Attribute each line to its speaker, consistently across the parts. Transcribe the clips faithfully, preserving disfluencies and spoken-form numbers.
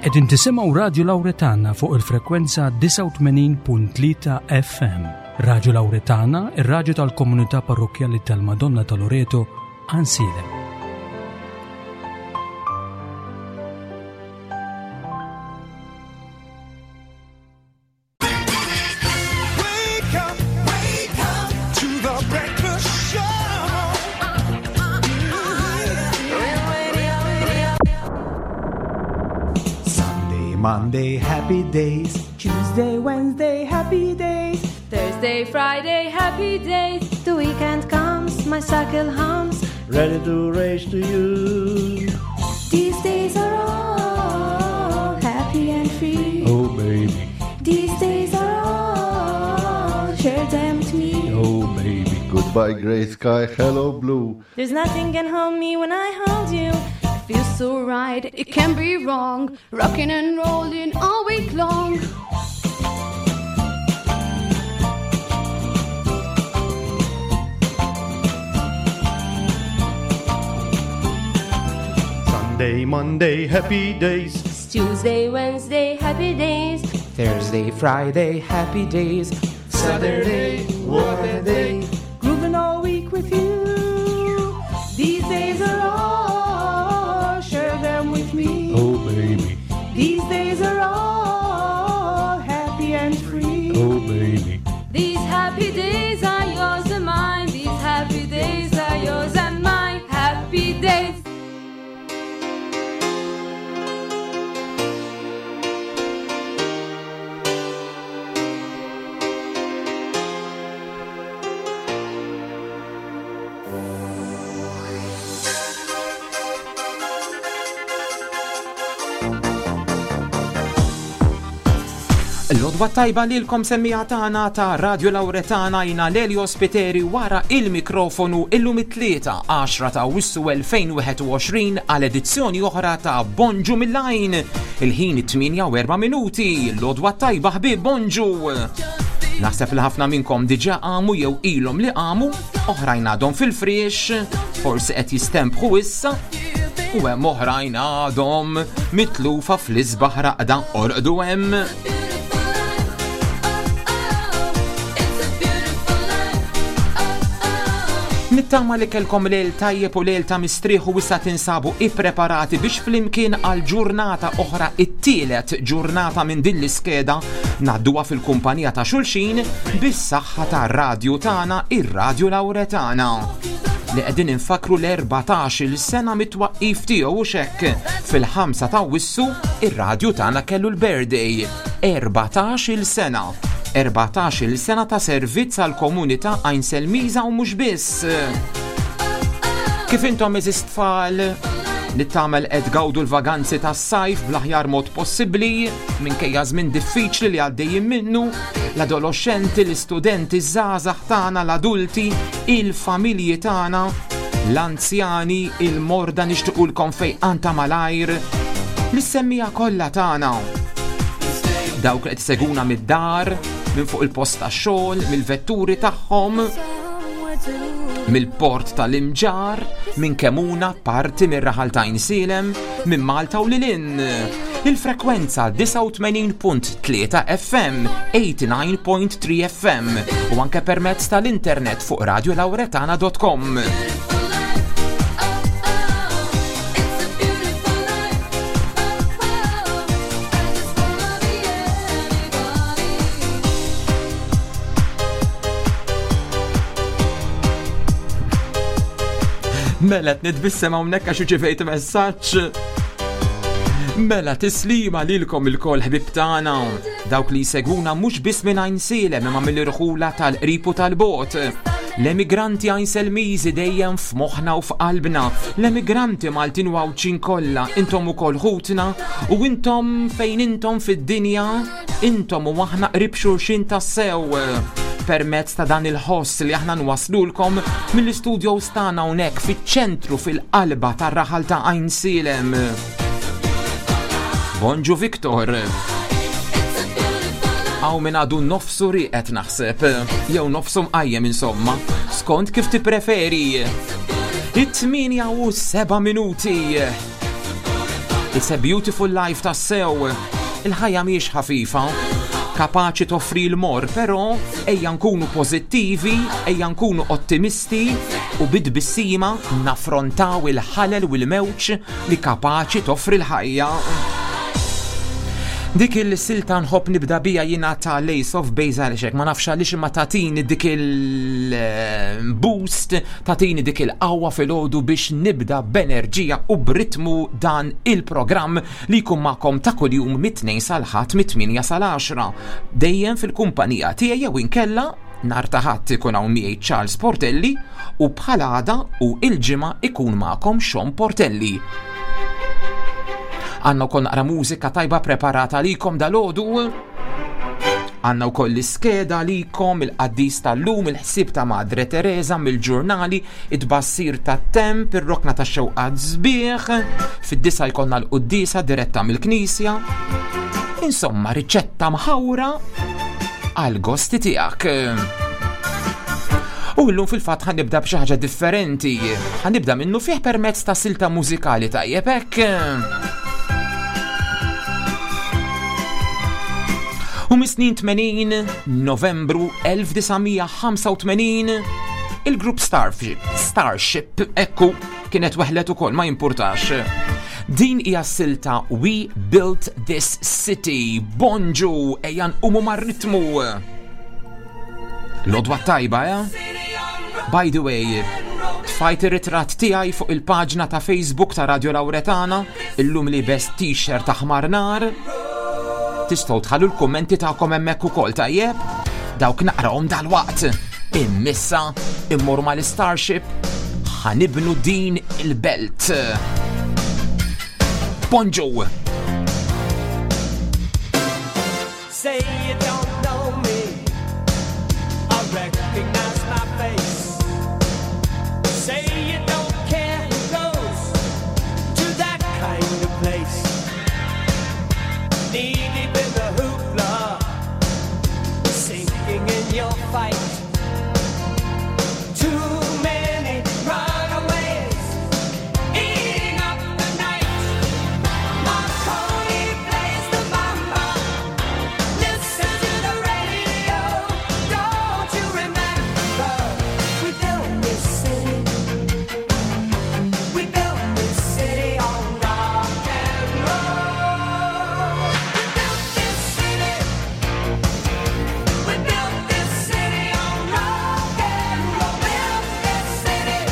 Speaker 1: Qegħdin tisimgħu Radio Lauretana fuq il-frekwenza disgħa u tmenin punt tlieta F M. Radio Lauretana, ir-radju tal-komunità parrokkjali tal-Madonna ta' Loreto, Għajnsielem.
Speaker 2: Monday, happy days.
Speaker 3: Tuesday, Wednesday, happy days.
Speaker 4: Thursday, Friday, happy days.
Speaker 5: The weekend comes, my cycle hums.
Speaker 2: Ready to race to you.
Speaker 5: These days are all happy and free.
Speaker 2: Oh, baby.
Speaker 5: These days are all, share them with me.
Speaker 2: Oh, baby.
Speaker 6: Goodbye, grey sky, hello, blue.
Speaker 5: There's nothing can hold me when I hold you.
Speaker 4: Feels so right, it can't be wrong. Rocking and rolling all week long.
Speaker 2: Sunday, Monday, happy days.
Speaker 5: It's Tuesday, Wednesday, happy days.
Speaker 7: Thursday, Friday, happy days.
Speaker 2: Saturday, what a day.
Speaker 3: Grooving all week with you. These days are all, share them with me.
Speaker 2: Oh, baby.
Speaker 3: These days are all happy and free.
Speaker 2: Oh, baby.
Speaker 4: These happy days are yours and mine. These happy days are yours and mine. Happy days.
Speaker 7: L-għodwa tajba lilkom semmija tagħna ta' Radio Lauretana, jina Lelio Spiteri wara il-mikrofonu illum it-tlieta għaxra ta' Awwissu elfejn u wieħed u għoxrin għal edizzjoni oħra ta' Bonġu mill-Għajn. Il-ħin it-tmienja u erba' minuti. L-għodwa tajba ħbieb, bonġu. Naħseb li ħafna minnkom diġà qamu jew ilhom li qamu, oħrajn għadhom fil-friex, forsi qed jistempħu issa, u hemm oħrajn għadhom mitlufa fl-isbaħ raqda orqdu hemm. Nittama li kelkom lejl tajjeb u lejl ta' mistrieħ u issa tinsabu ippreparati biex flimkien għal ġurnata oħra, it-tielet ġurnata minn din l-iskeda, ngħadduha fil-kumpanija ta' xulxin bis-saħħa tar-radju tagħna, ir-Radju Lauretana, li qegħdin infakru l-erbatax-il sena mit-twaqqif tiegħu u xekk. Fil-ħamsa ta' Awwissu ir-radju tagħna kellu l-birthday, erbatax-il sena. Erbatax-il sena ta' servizz għal komunità Għajnselmiża u mhux biss. Kif intom eżis tfal li tagħmel qed gawdu l-vaganzi tas-sajf bl-aħjar mod possibbli, minkejja żmien diffiċli li għaddejjin minnu, l-adolescenti, l-istudenti, iż-żgħażagħ tagħna, l-adulti, il-familji tagħna, l-anzjani, il-morda nixtiequlkom fejqan ta' malajr, l-semmija kollha tagħna. Dawk li qed iseguna mid-dar, minn fuq il-post tax-xogħol, mill-vetturi tagħhom, mill-port tal-Imġarr, minn Kemuna, parti mir-raħal ta' Għajnsielem, minn Malta u lil hinn. Il-frekwenza disgħa u tmenin punt tlieta F M, eighty-nine point three F M u anke permezz tal-internet fuq radio lauretana dot com. Mela nitbissem hawnhekk għax irċivejt messaġġ. Mela tislima lilkom ilkoll ħbib tagħna, dawk li jsegwuna mhux biss minn Għajnsielem imma mill-irħula tal-qrib u tal-bogħod. L-emigranti Għajnselmiżi dejjem f'moħħna u f'qalbna, l-emigranti Maltin u Għawdxin kollha, intom ukoll ħutna u intom fejn intom fid-dinja, intom u aħna qrib xulxin tassew. Permezz ta' dan il-ħoss li aħna nwaslulkom mill-istudios tagħna hawnhekk fiċ-ċentru fil-qalba tar-raħal ta' Għajnsielem. Bonġu Viktor. Hawn min għadu nofsu rieqed naħseb, jew nofsu mqajjem insomma, skont kif tippreferi. It-tmienja u seba' minuti. It's a beautiful life tassew. Il-ħajja mhijiex ħafifa, kapaċi toffri l-morr, però ejja nkunu pożittivi, ejja nkunu ottimisti u bit-tbissima naffrontaw il-ħalel u l-mewġ li kapaċi toffri l-ħajja. Dik il-silta nħobb nibda bija jiena ta' Ace of Base għaliex ma nafx għaliex imma tatini dik il-boost, tatini dik il-qawwa filgħodu biex nibda b'enerġija u b'ritmu dan il-programm li jkun magħkom ta' kuljum mit-tnejn sal-ħadd mit-tmienja sal-għaxra. Dejjem fil-kumpanija tiegħi jew inkella nhar ta' Ħadd ikun hawn miegħi Charles Portelli u bħal għada u il-ġimgħa ikun magħkom Sean Portelli. Għandna wkoll naqra mużika tajba preparata għalikom dalgħodu. Għandna wkoll l-iskeda għalikom, il-qaddis tal-lum, il-ħsieb ta' Madre Teresa mill-ġurnali, it-tbassir tat-temp, ir-rokna ta' xewqat sbieħ, fid-disgħa jkollna l-quddiesa diretta mill-knisja. Insomma, riċetta mħawra għal-gosti tiegħek. U llum fil-fatt ħa nibda b'xi ħaġa differenti. Ħa nibda minnu fih permezz ta' silta mużikali, tajjeb hekk. U mis-snin tmenin, Novembru elf disa' mija ħamsa u tmenin, il-grupp Starship, Starship, ekku, kienet weħlet ukoll, ma jimpurtax. Din hija silta We Built This City. Bonġu, ejja nqumu mar-ritmu. L-għodwa tajba, eh? By the way, tfajt ir-ritratt tiegħi fuq il-paġna ta' Facebook ta' Radio Lauretana, illum liebes t-shirt aħmar nar. Tistgħu tħallu l-kummenti tagħkom hemmhekk ukoll, tajjeb? Dawk naqrahom dal-waqt. Imma issa immur mal-Starship, ħa nibnu din il-belt. Bonġu!
Speaker 8: Say you don't know me, I recognize my face. Say you don't care who goes to that kind of place. Knee deep in the hoopla, sinking in your fight. Too many runaways, eating up the night. Marconi plays the bamba. Listen to the radio. Don't you remember? We built this city. We built this city on rock and roll. We built this city. We built this city on rock and roll. Built this city.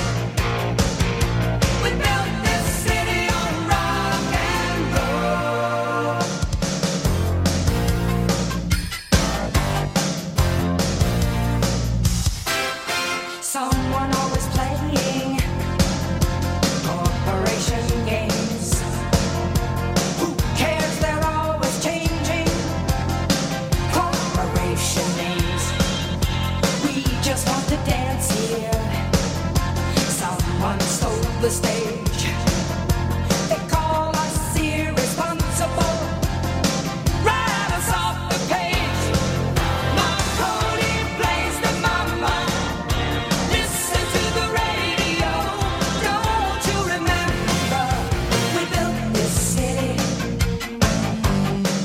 Speaker 8: We built this city on rock and roll.
Speaker 9: Someone always playing corporation games.
Speaker 8: Who cares? They're always changing
Speaker 9: corporation names. We just want to dance here. Someone stole the stage. They call us irresponsible.
Speaker 8: Write us off the page. Marconi plays the mama. Listen to the radio. Don't you remember?
Speaker 9: We built this city.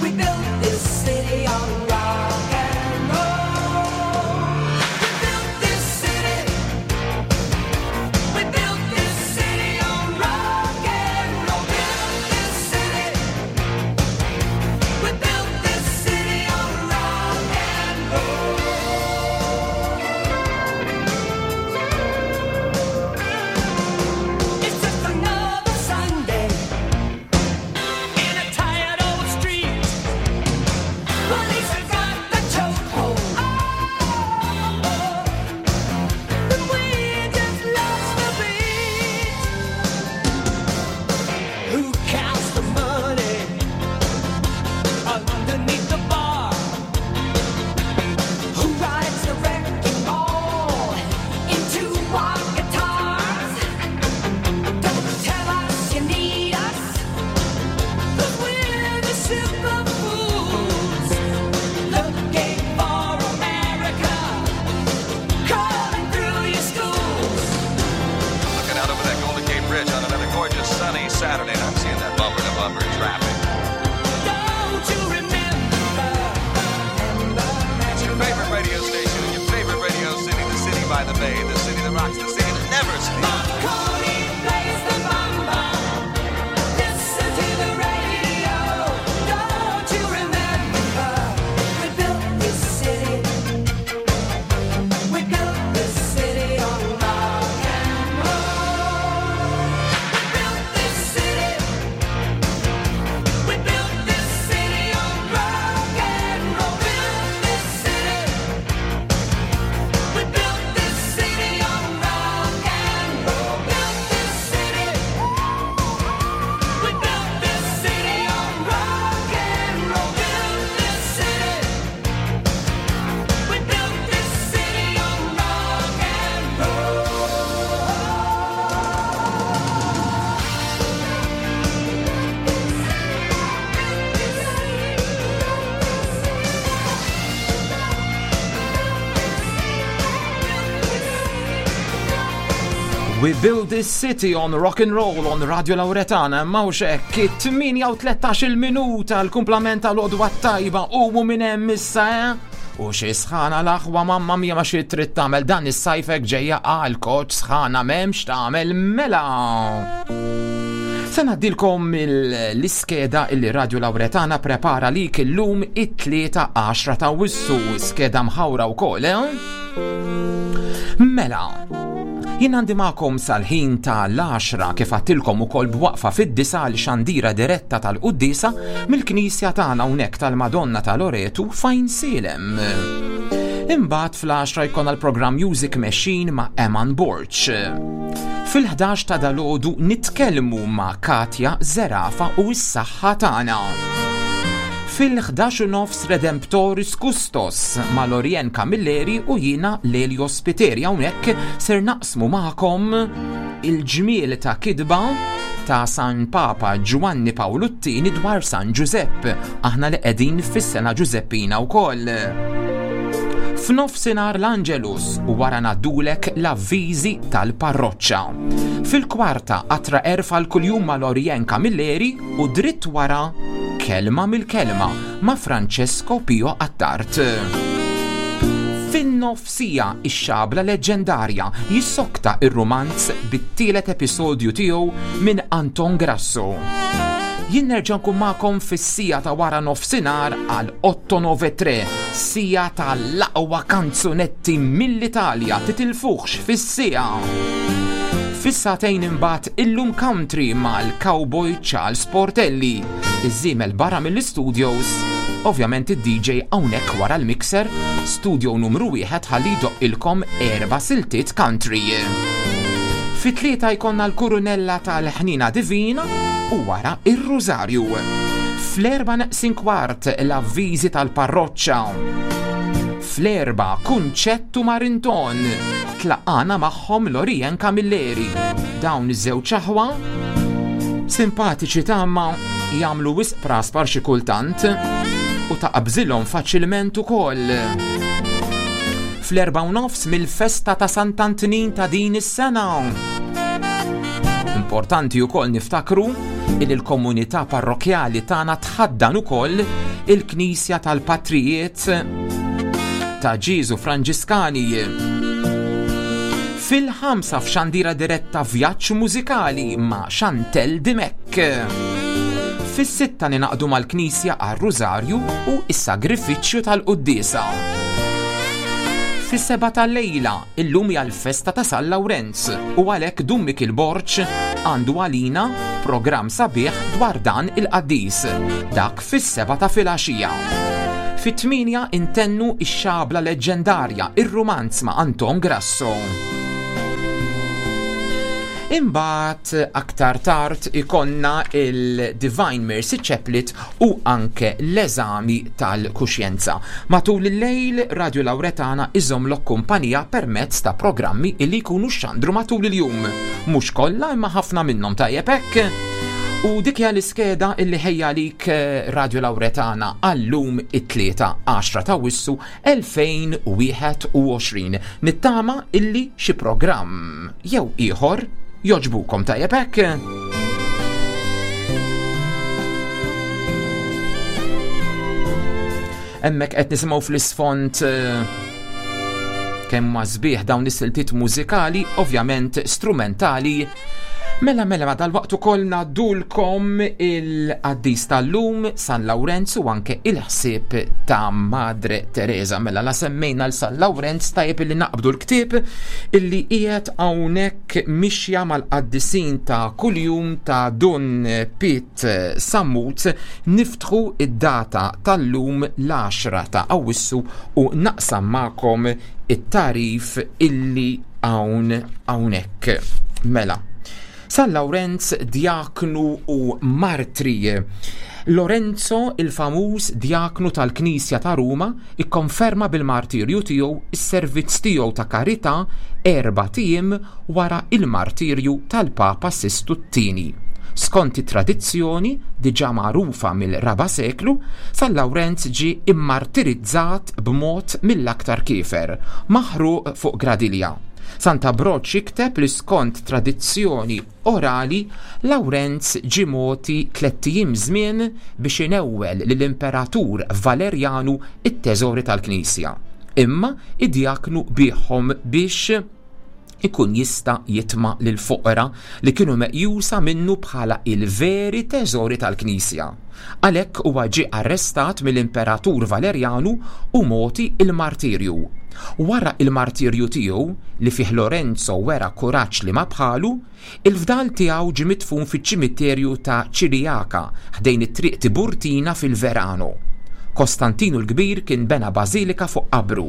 Speaker 9: We built this city on rock and roll.
Speaker 8: We built this city. We built this city on rock and roll. Built this city. We built this city on rock and roll. It's just another Sunday in a tired old street. Police have got the chokehold. Oh, but we just lost the beat. Who counts the money underneath the bar?
Speaker 9: Who rides the wrecking ball into our guitars? Don't tell us you need us,
Speaker 8: 'cause we're the super fools looking for America, crawling through your schools.
Speaker 10: Looking out over that Golden Gate Bridge on another gorgeous sunny Saturday, and I'm seeing that bumper to bumper.
Speaker 7: We build this city on rock and roll on Radio Lauretana, mawx hekk, it-tmienja u tlettax-il minuta, l-kumplament tal-għodwa tajba u minn hemm issa, eh? U xi sħana l-aħwa, mamma mia, ma xi trid tagħmel, dan is-sajfek ġejja għal koċ sħana, m'hemmx tagħmel. Mela. Se ngħaddilkom l-iskeda illi Radio Lauretana prepara lik illum it-tlieta għaxra ta' Awwissu, skeda mħawra wkoll, eh? Mela, jien għandi magħkom sal-ħin ta' l-għaxra, kif għedtilkom ukoll b'waqfa fid-disgħa l-xandira diretta tal-Quddiesa mill-Knisja tagħna hawnhekk tal-Madonna ta' Loretu f'Għajnsielem. Imbagħad fl-għaxra jkollna l-programm Music Machine ma' Eman Borg. Fil-ħdax ta' dalgħodu nitkellmu ma' Katja Zerafa u s-saħħa tagħna. Fil-ħdax u nofs Redemptoris Custos ma' Lorien Camilleri u jiena Lelio Spiteri, hawnhekk ser naqsmu magħkom il-ġmiel ta' kitba ta' San Papa Giovanni Paolo t-Tieni dwar San Giuseppe, aħna li qegħdin fis-sena Giuseppina wkoll. F'nofsinhar l-Angelus u wara ngħaddulek l-avviżi tal-parroċċa. Fil-kwarta qatra erfa l-kuljum ma' Lorien Camilleri u dritt wara Kelma mill-Kelma ma' Francesco Pio Attard. Fin-nofsija ix-xabla leġendarja jissokta ir-romanz bit-tielet episodju tiegħu minn Anton Grasso. Jien nerġa' nkun magħkom fis-siegħa ta' wara nofsinhar għal otto nove tre, siegħa tal-aqwa kanzunetti mill-Italja, titilfuħx fis-siegħa. Fis-sagħtejn imbagħad illum country mal-cowboy Charles Portelli, iż-żiemel barra mill-studios, ovvjament id-D J hawnhekk wara l-mixer, studio numru wieħed ħalli jdoqqilkom erba' siltiet country. Fit-tlieta jkollna l-kurunella tal-ħnina divina u wara ir-Rużarju. Fl-erba' neqsin kwart l-avviżi tal-parroċċa. Fl-erba' Kunċettu Marinton tlaqana magħhom Lorien Camilleri. Dawn iż-żewġ aħwa simpatiċi tagħma jagħmlu wisq praspar xi kultant u taqbżilhom faċilment ukoll. Fl-erba' u nofs mill-festa ta' Sant'Antnin ta' din is-sena. Importanti wkoll niftakru li l-komunità parrokjali tagħna tħaddan ukoll il-Knisja tal-Patrijiet ta' Ġieżu Franġiskani. Fil-ħamsa f'xandira diretta vjaġġ mużikali ma' Chantel Dimek. Fis-sitta ninaqdu mal-Knisja għar-Rużarju u s-sagrifiċċju tal-Quddiesa. Fis-seba tal-lejla, illum hija l-festa ta' San Lawrenz u għalhekk Dun Mikil Borg għandu għalina programm sabiħ dwar dan il-qaddis, dak fis-seba ta' filgħaxija. Fit-tmienja intennu ix-xabla leġendarja, ir-rumanz ma' Anton Grasso. Imbagħad aktar tard ikonna il-Divine Mercy Chaplet u anke l-eżami tal-kuxjenza. Matul il-lejl Radio Lauretana iżommlok kumpanija permezz ta' programmi illi jkunu xandru matul il-jum. Mhux kollha imma ħafna minnhom, tajjeb hekk. U dik hija l-iskeda illi ħejja lik, eh, Radio Lauretana għallum it-tlieta għaxra ta' Awwissu elfejn u wieħed u għoxrin. Nittama illi xi programm jew ieħor joġbukom, tajjeb hekk. Hemmhekk qed nisimgħu fl-isfond, eh, kemm ma sbieħ dawn is-siltiet mużikali, ovvjament strumentali. Mela, mela, ma dal-waqt ukoll ngħaddulkom il-qaddis tal-lum, San Lawrenz, u anke il-ħsieb ta' Madre Teresa. Mela, la semmejna l San Lawrenz, tajjeb illi naqbdu l-ktieb illi qiegħed hawnhekk mixja mal-qaddisin ta' kuljum ta' Dun Pit Sammut. Niftħu id-data tal-lum l-għaxra ta' Awwissu u naqsam magħkom it-tarif illi hawn hawnhekk. Mela, San Lawrenz, djaknu u martri. Lorenzo, il-famuż djaknu tal-Knisja ta' Ruma, ikkonferma bil-martirju tiegħu is-servizz tiegħu ta' karità erba' tiem wara il-martirju tal-Papa Sistu t-Tieni. Skont it-tradizzjoni diġà magħrufa mill-raba' seklu, San Lawrenz ġie immartirizzat b'mod mill-aktar kiefer, maħruq fuq gradilja. Sant'Abroġ jikteb li skont tradizzjoni orali Lawrenz ġie mogħti tlett ijiem żmien biex inewwel lill-Imperatur Valerjanu it-teżori tal-Knisja. Imma id-djaknu biegħhom biex ikun jista' jitma' lill-foqra li kienu meqjusa minnu bħala il-veri teżori tal-Knisja. Għalhekk huwa ġie arrestat mill-Imperatur Valerjanu u mogħti il-martirju. Wara il-martirju tiegħu li fih Lorenzo wera kuraġġ li ma bħalu, il-fdal tiegħu ġie midfun fiċ-ċimiterju ta' Ċirijaka ħdejn it-triq Tiburtina fil-Verano. Kostantinu l-Kbir kien bena bażilika fuq qabru.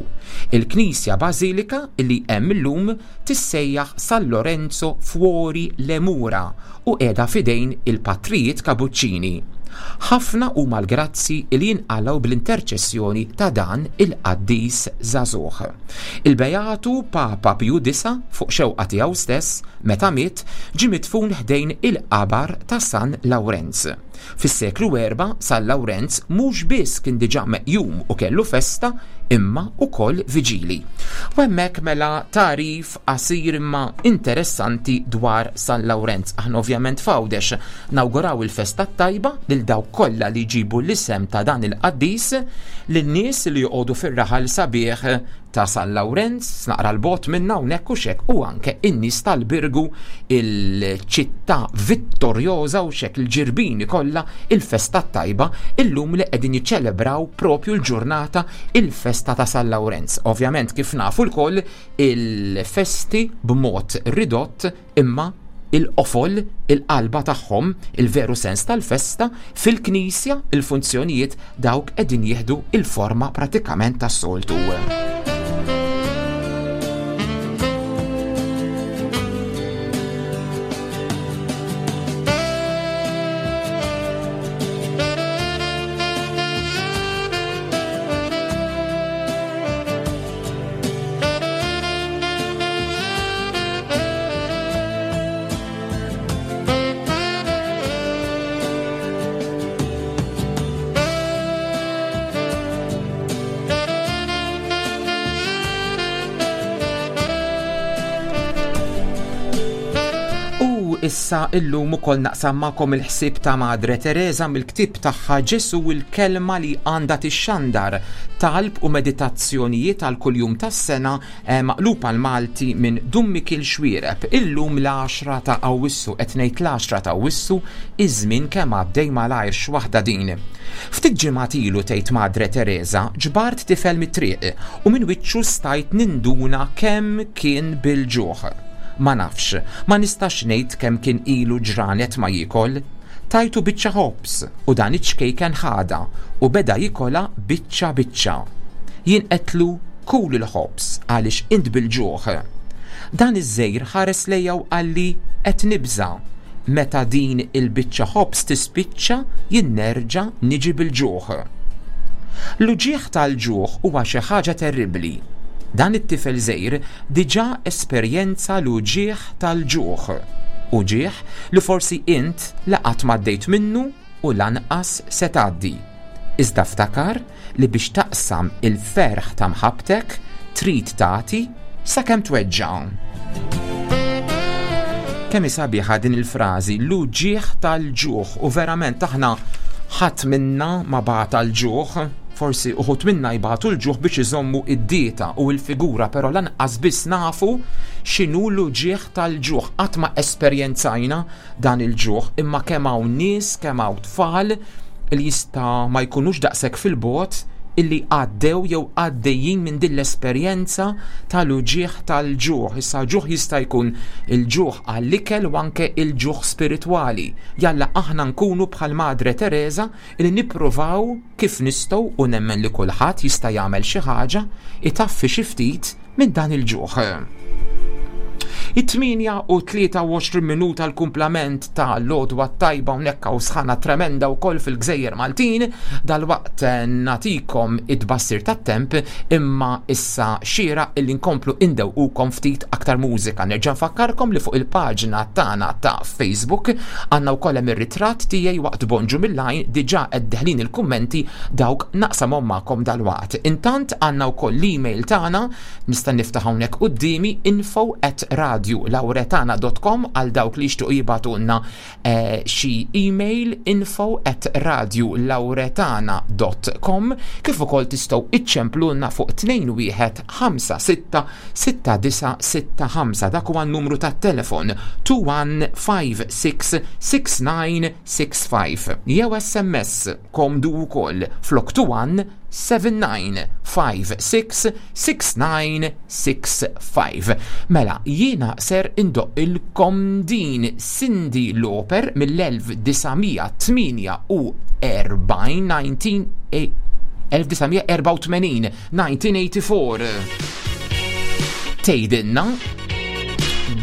Speaker 7: Il-Knisja Bażilika li hemm illum tissejjaħ San Lorenzo Fuori le Mura u qiegħda f'idejn il-patrijiet Kabuċċini. Ħafna huma l-grazzi li jinqalgħu bl-interċessjoni ta' dan il-qaddis żagħżugħ. Il-Beatu Papa Pju Disa fuq xewqa tiegħu stess meta miet ġie midfun ħdejn il-qabar ta' San Lawrenz. Fis-seklu erba' San Lawrenz mhux biss kien diġà meqjum u kellu festa imma wkoll viġili. U hemmhekk mela tagħrif qasir imma interessanti dwar San Lawrenz. Aħna ovvjament f'Għawdex nawguraw il-festa tajba lil dawk kollha li jġibu l-isem ta' dan il-qaddis, lin-nies li joqogħdu fir-raħal sabiħ ta' San Lawrenz, naqra l-bot minna hawnhekk u xek, u anke in-nies tal-Birgu, il-ċittà vittorjoża u xek il-ġirbini kollha il-festa tajba illum li qegħdin jiċċelebraw propju l-ġurnata il-festa ta' San Lawrenz. Ovvjament kif nafu lkoll il-festi b'mod ridott imma il-qofol, il-qalba tagħhom, il-veru sens tal-festa, fil-knisja il-funzjonijiet dawk qegħdin jieħdu il-forma pratikament tas-soltu. Issa illum ukoll naqsam magħkom il-ħsieb ta' Madre Teresa mill-ktieb tagħha Ġesu il-kelma li għandha tixxandar, talb u meditazzjonijiet għal kuljum tas-sena, eh, maqlub għal Malti minn Dun Mikiel Xuereb. Illum l-għaxra ta' Awwissu, qed ngħid l-għaxra ta' Awwissu, iż-żmien kemm għaddej malajr x'waħda din. Ftit ġimgħat ilu tgħid Madre Teresa ġbart tifel mit-triq u minn wiċċu stajt ninduna kemm kien bil-ġuħ. Ma nafx, ma nistax ngħid kemm kien ilu ġranet ma jiekol. Tajtu biċċa ħobż u dan iċ-ċkejken ħada u beda jikola biċċa biċċa. Jien qedtlu kul il-ħobż għaliex int bil-ġuħ. Dan iż-żejr ħares lejja u qalli qed nibża'. Meta din il-biċċa ħobż tispiċċa jien nerġa' niġi bil-ġuħ. L-uġigħ tal-ġuħ huwa xi ħaġa terribbli. Dan it-tifel żgħir diġà esperjenza l-uġigħ tal-ġuħ. Uġigħ li forsi int la qatt m'għaddejt minnu u lanqas se tgħaddi. Iżda ftakar li biex taqsam il-ferħ ta' mħabbtek trid tagħti sakemm tweġġa'. Kemm hi sabiħa din il-frażi, l-uġigħ tal-ġuħ, u verament aħna ħadd minna ma bagħat għall-ġuħ. Forsi uħud minna jbagħtu l-ġuħ biex iżommu id-dieta u l-figura, però lanqas biss nafu x'inhu l-uġigħ tal-ġuħ. Qatt ma esperjenzajna dan il-ġuħ, imma kemm hawn nies, kemm hawn tfal li jista' ma jkunux daqshekk fil-bogħod illi għaddew jew għaddejjin minn din l-esperjenza tal-uġigħ tal-ġuħ. Issa ġuħ jista' jkun il-ġuħ għall-ikel u anke il-ġuħ spiritwali. Jalla aħna nkunu bħal Madre Teresa illi nippruvaw kif nistgħu, u nemmen li kulħadd jista' jagħmel xi ħaġa itaffi xi ftit minn dan il-ġuħ. It-tmienja u tlieta u għoxrin minuta l-kumplament ta' l-għodwa tajba hawnhekk u sħana tremenda wkoll fil-Gżejjer Maltin. Dalwaqt nagħtikom it-tbassir tat-temp, imma issa xira illi nkomplu indewqukom ftit aktar mużika. Nerġa' nfakkarkom li fuq il-paġna tagħna ta' Facebook għandna wkoll hemm ir-ritratt tiegħi waqt Bonġu mill-Għajn, diġà qed deħlin il-kummenti, dawk naqsamhom magħkom dalwaqt. Intant għandna wkoll l-email tagħna, nista' niftaħ hawnhekk quddiemi, info at radio lauretana dot com għal dawk li jixtiequ jibgħatulna, eh, xi email, info at radio lauretana dot com, kif ukoll tistgħu iċċemplulna fuq tnejn wieħed ħamsa sitta sitta disa sitta ħamsa, dak huwa n-numru tat-telefon two one five six six nine six five, jew S M S komdu wkoll flok two one seven nine five six six nine six five. Mela, jiena ser indoqqilkom din Cyndi Lauper mill-elf disa' mija tmienja u erbgħin, nineteen elf disa' mija erbgħa u tmenin, nineteen eighty-four. Tgħidilna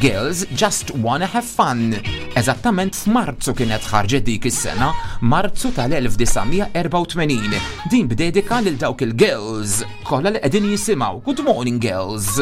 Speaker 7: Girls Just Wanna Have Fun. Eżattament f'Marzu kienet ħarġet dik is-sena, Marzu tal-elf disa' mija erbgħa u tmenin. Din b'dedika lil dawk il-girls kollha li qegħdin jisimgħu. Good morning, girls.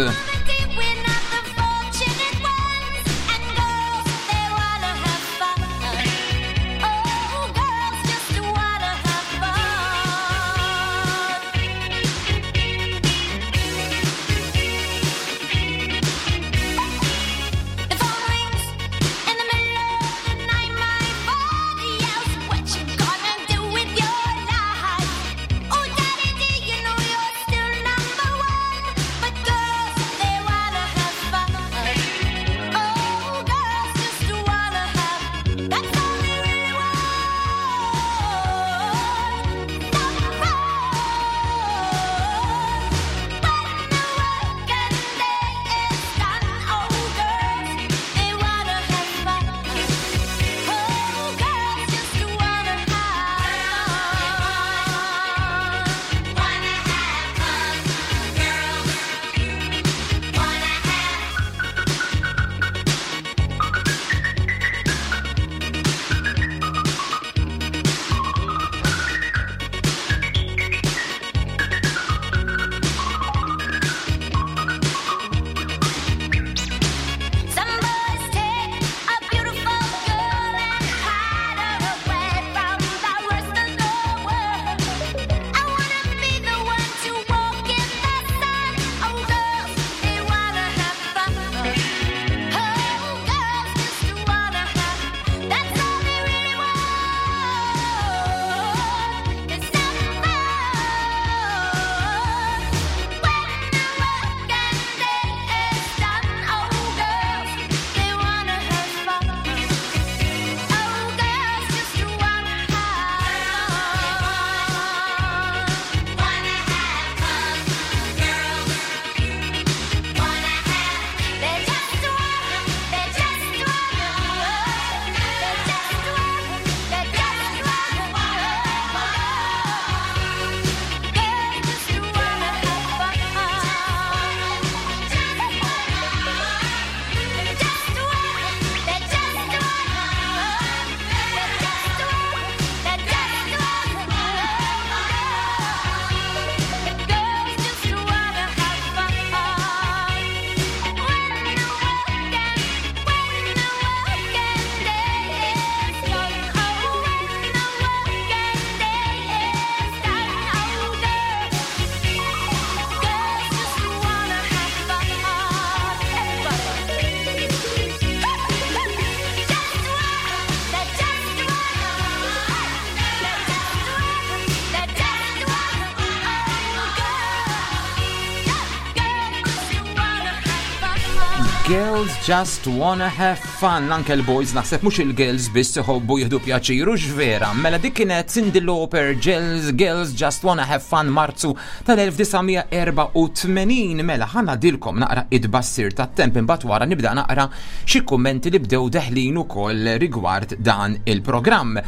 Speaker 7: Girls just wanna have fun. Anke l-boys, naħseb mhux il-girls biss iħobbu jieħdu pjaċir, u x'vera. Mela dik kienet Cyndi Lauper, Girls, Girls Just Wanna Have Fun, Marzu tal-elf disa' mija erbgħa u tmenin. Mela ħa ngħadilkom naqra id-bassir tat-temp, imbagħad wara nibda naqra xi kummenti li bdew deħlin ukoll rigward dan il-programm.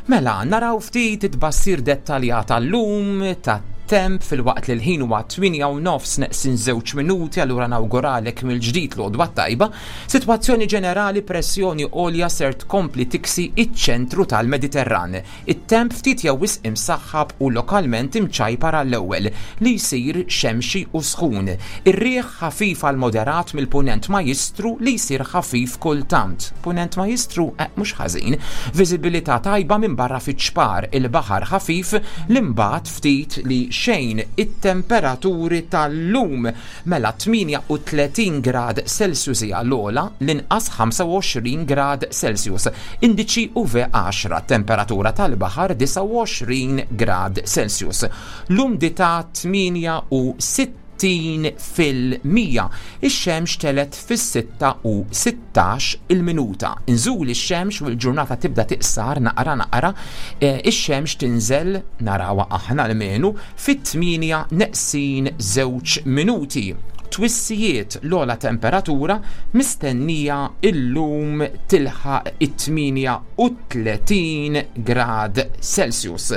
Speaker 7: Mela naraw ftit it-tbassir dettaljat tal-lum, tat-temp tat-temp fil-waqt li l-ħin huwa tmienja u nofs neqsin żewġ minuti, allura nawguralek mill-ġdid l-għodwa tajba. Sitwazzjoni ġenerali, pressjoni għolja ser tkompli tiksi iċ-ċentru tal-Mediterran. It-temp ftit jew wisq imsaħħab u lokalment imċajpar għall-ewwel li jsir xemxi u sħun. Ir-riħ ħafif għal moderat mill-punent majistru li jsir ħafif kultant. Punent majistru eh, mhux ħażin. Viżibilità tajba minn barra fiċ-ċpar, il-baħar ħafif l-imbagħad ftit li xejn. It-temperaturi tal-lum mela tmienja u tletin grad Celsius hija l-ogħla, l-inqas ħamsa u għoxrin grad Celsius. Indiċi U V għaxra, temperatura tal-baħar disgħa u għoxrin grad Celsius. L-umdità tmienja u sittin fil-mija. Ix-xemx telet fis-sitta u sittax il-minuta. Inżul ix-xemx u l-ġurnata tibda tiqsar naqra naqra, e, ix-xemx tinżel narawha aħna l-menu fit-tmienja neqsin żewġ minuti. Twissijiet l-ogħla temperatura mistennija illum tilħaq it-tmienja u tletin grad Celsius.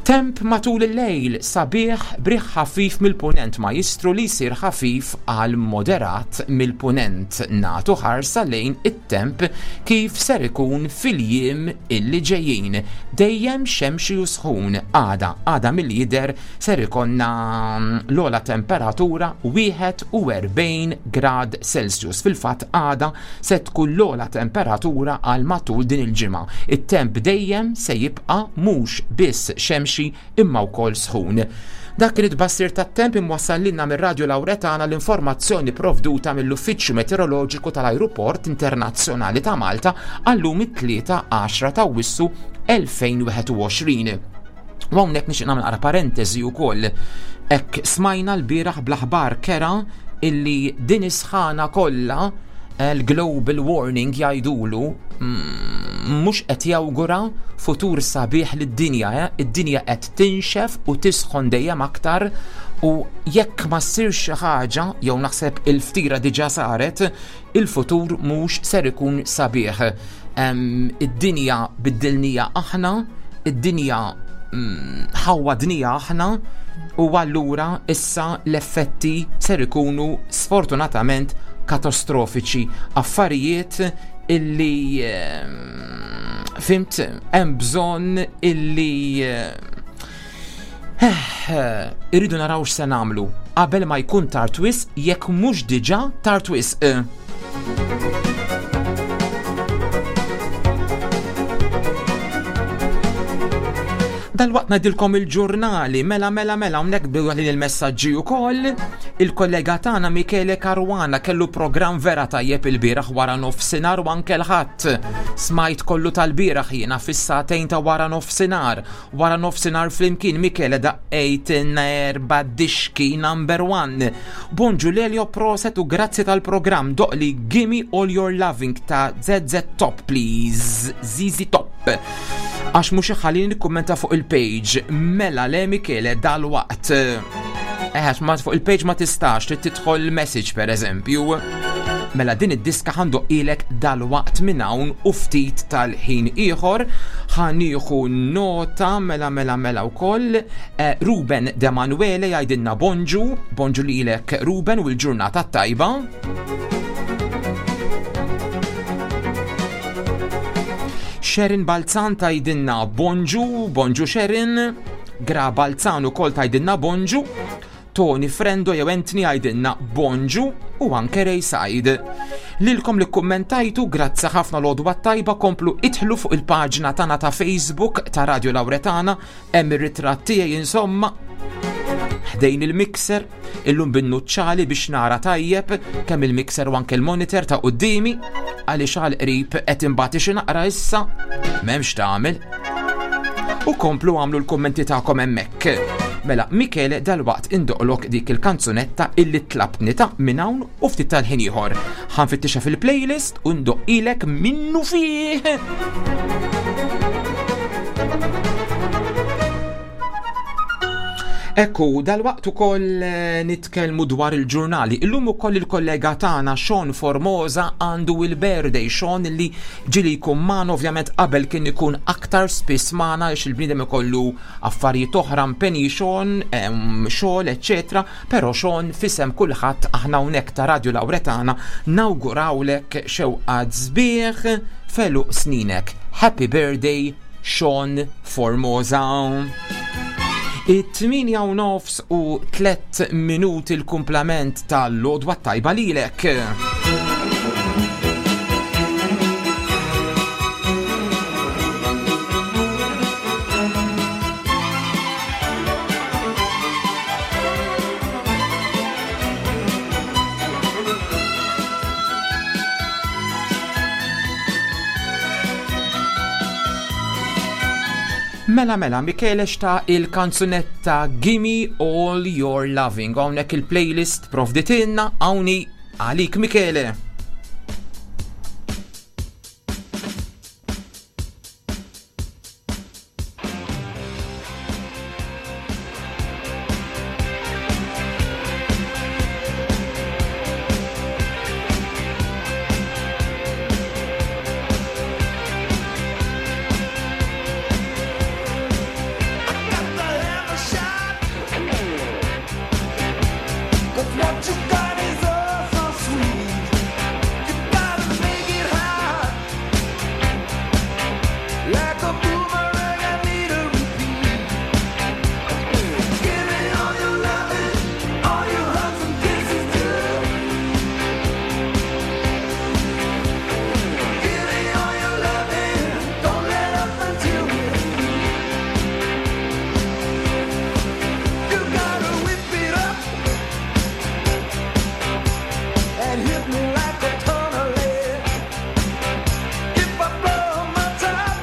Speaker 7: Temp matul il-lejl sabiħ briħ ħafif mill-punent majistru li jsir ħafif għal moderat mill-punent. Natu ħarsa lejn it-temp kif ser ikun fil-jiem illi ġejjin. Dejjem xemxi u sħun. Għada, għada mill-jider ser ikonna l-ogħla temperatura wieħed u erbgħin grad Celsius. Fil-fatt għada se tkun l-ogħla temperatura għal matul din il-ġimgħa. It-temp dejjem se jibqa' mhux biss xemxi imma wkoll sħun. Dak kien it-tbassir tat-temp imwassal lilna mir-Radju Lawretana, l-informazzjoni provduta mill-Uffiċċju Meteoroloġiku tal-Ajruport Internazzjonali ta' Malta għallum it-tlieta għaxra ta' Awwissu elfejn wieħed u għoxrin. U hawnhekk nixtieq nagħmel naqra parentesi wkoll. Hekk smajna l-bieraħ bl-aħbar kera illi din is-sħana kollha, l-global warming jgħidulu, mm, mhux qed jawgura futur sabiħ lid-dinja, eh? Id-dinja qed tinxef u tisħon dejjem aktar, u jekk ma ssirx xi ħaġa, jew naħseb il-ftira diġà saret, il-futur mhux ser ikun sabiħ. Em, id-dinja biddilnija aħna, id-dinja, mm, ħawwadnija aħna, u allura issa l-effetti ser ikunu sfortunatament katastrofiċi, affarijiet illi, ehm, fimt, hemm bżonn illi, eh, irridu naraw x'se nagħmlu qabel ma jkun tard wisq, jekk mhux diġà tard wisq. Dal-waqt ngħidilkom il-ġurnali, mela, mela, mela, hawnhekk bdew il-messaġġi wkoll. Il-kollega tagħna Michele Caruana kellu programm vera tajjeb il-bieraħ wara nofsinhar u anke l-Ħadd. Smajt kollu tal-bieraħ jiena fis-sagħtejn ta' wara nofsinhar. Wara nofsinhar flimkien Michele daqqejtilna erba' dixki number one. Bonġu Lelio, proset u grazzi tal-programm. Doqli Gimme All Your Loving ta' Z Z Top, please. Z Z Top. Għax mhux iħallini nikkummenta fuq il-page. Mela le Michele dal-waqt. Eh, ma fuq il-page ma tistax, trid tidħol message per eżempju. Mela din id-diska ħandoqilek dal-waqt minn hawn u ftit tal-ħin ieħor. Ħanieħu nota mela mela mela wkoll. Eh, Ruben De Manuele jgħidilna bonġu, bonġu lilek Ruben u l-ġurnata tajba. Sharon Balzan tajdinna bonġu, bonġu Sharon. Gra Balzan ukoll tajdinna bonġu. Tony Frendo jew Anthony għajdinna bonġu u anke Ray Said. Lilkom li kummentajtu, grazzi ħafna l-għodwa tajba, komplu idħlu fuq il-paġna tagħna ta' Facebook ta' Radio Lawretana, hemm ir-ritratt tiegħi insomma ħdejn il-mixer, illum bin-nuċċali biex nara tajjeb kemm il-mixer u anke l-monitor ta' quddiemi, għaliex għal qrib qed imbagħti xi naqra issa, m'hemmx tagħmel. U komplu għamlu l-kummenti tagħkom hemmhekk. Mela, Michele, dalwaqt indoqlok dik il-kanzunetta illi tlabtni ta' minn hawn u ftit tal-ħin ieħor. Ħanfittixha fil-playlist u ndoqqilek minnu fih. Ekku, dal-waqt ukoll eh, nitkellmu dwar il-ġurnali. Illum ukoll il-kollega tagħna Sean Formosa għandu il-birthday. Sean li ġieli jkun magħna, ovvjament qabel kien ikun aktar spiss magħna għax il-bniedem ikollu affarijiet oħra, impenji Sean, em, xogħol, eċċetera. Però Sean, f'isem kulħadd aħna hawnhekk ta' Radio Lauretana nawgurawlek xewqat sbieħ f'għeluq sninek. Happy birthday, Sean Formosa. It-tmienja u nofs u tliet minuti, l-kumplament tal-lodwa tajba lilek. Mela mela, Michele xta il-kanzunetta Gimme All Your Loving. Hawnhekk il-playlist provditilna hawnhi għalik, Michele.
Speaker 8: Cause what you got is oh so sweet. You gotta make it hot. Like a boomerang, I need a repeat. Give me all your loving, all your hugs and kisses too. Give me all your loving, don't let up until we're through. You gotta whip it up and hit me like a ton of lead. If I blow my top,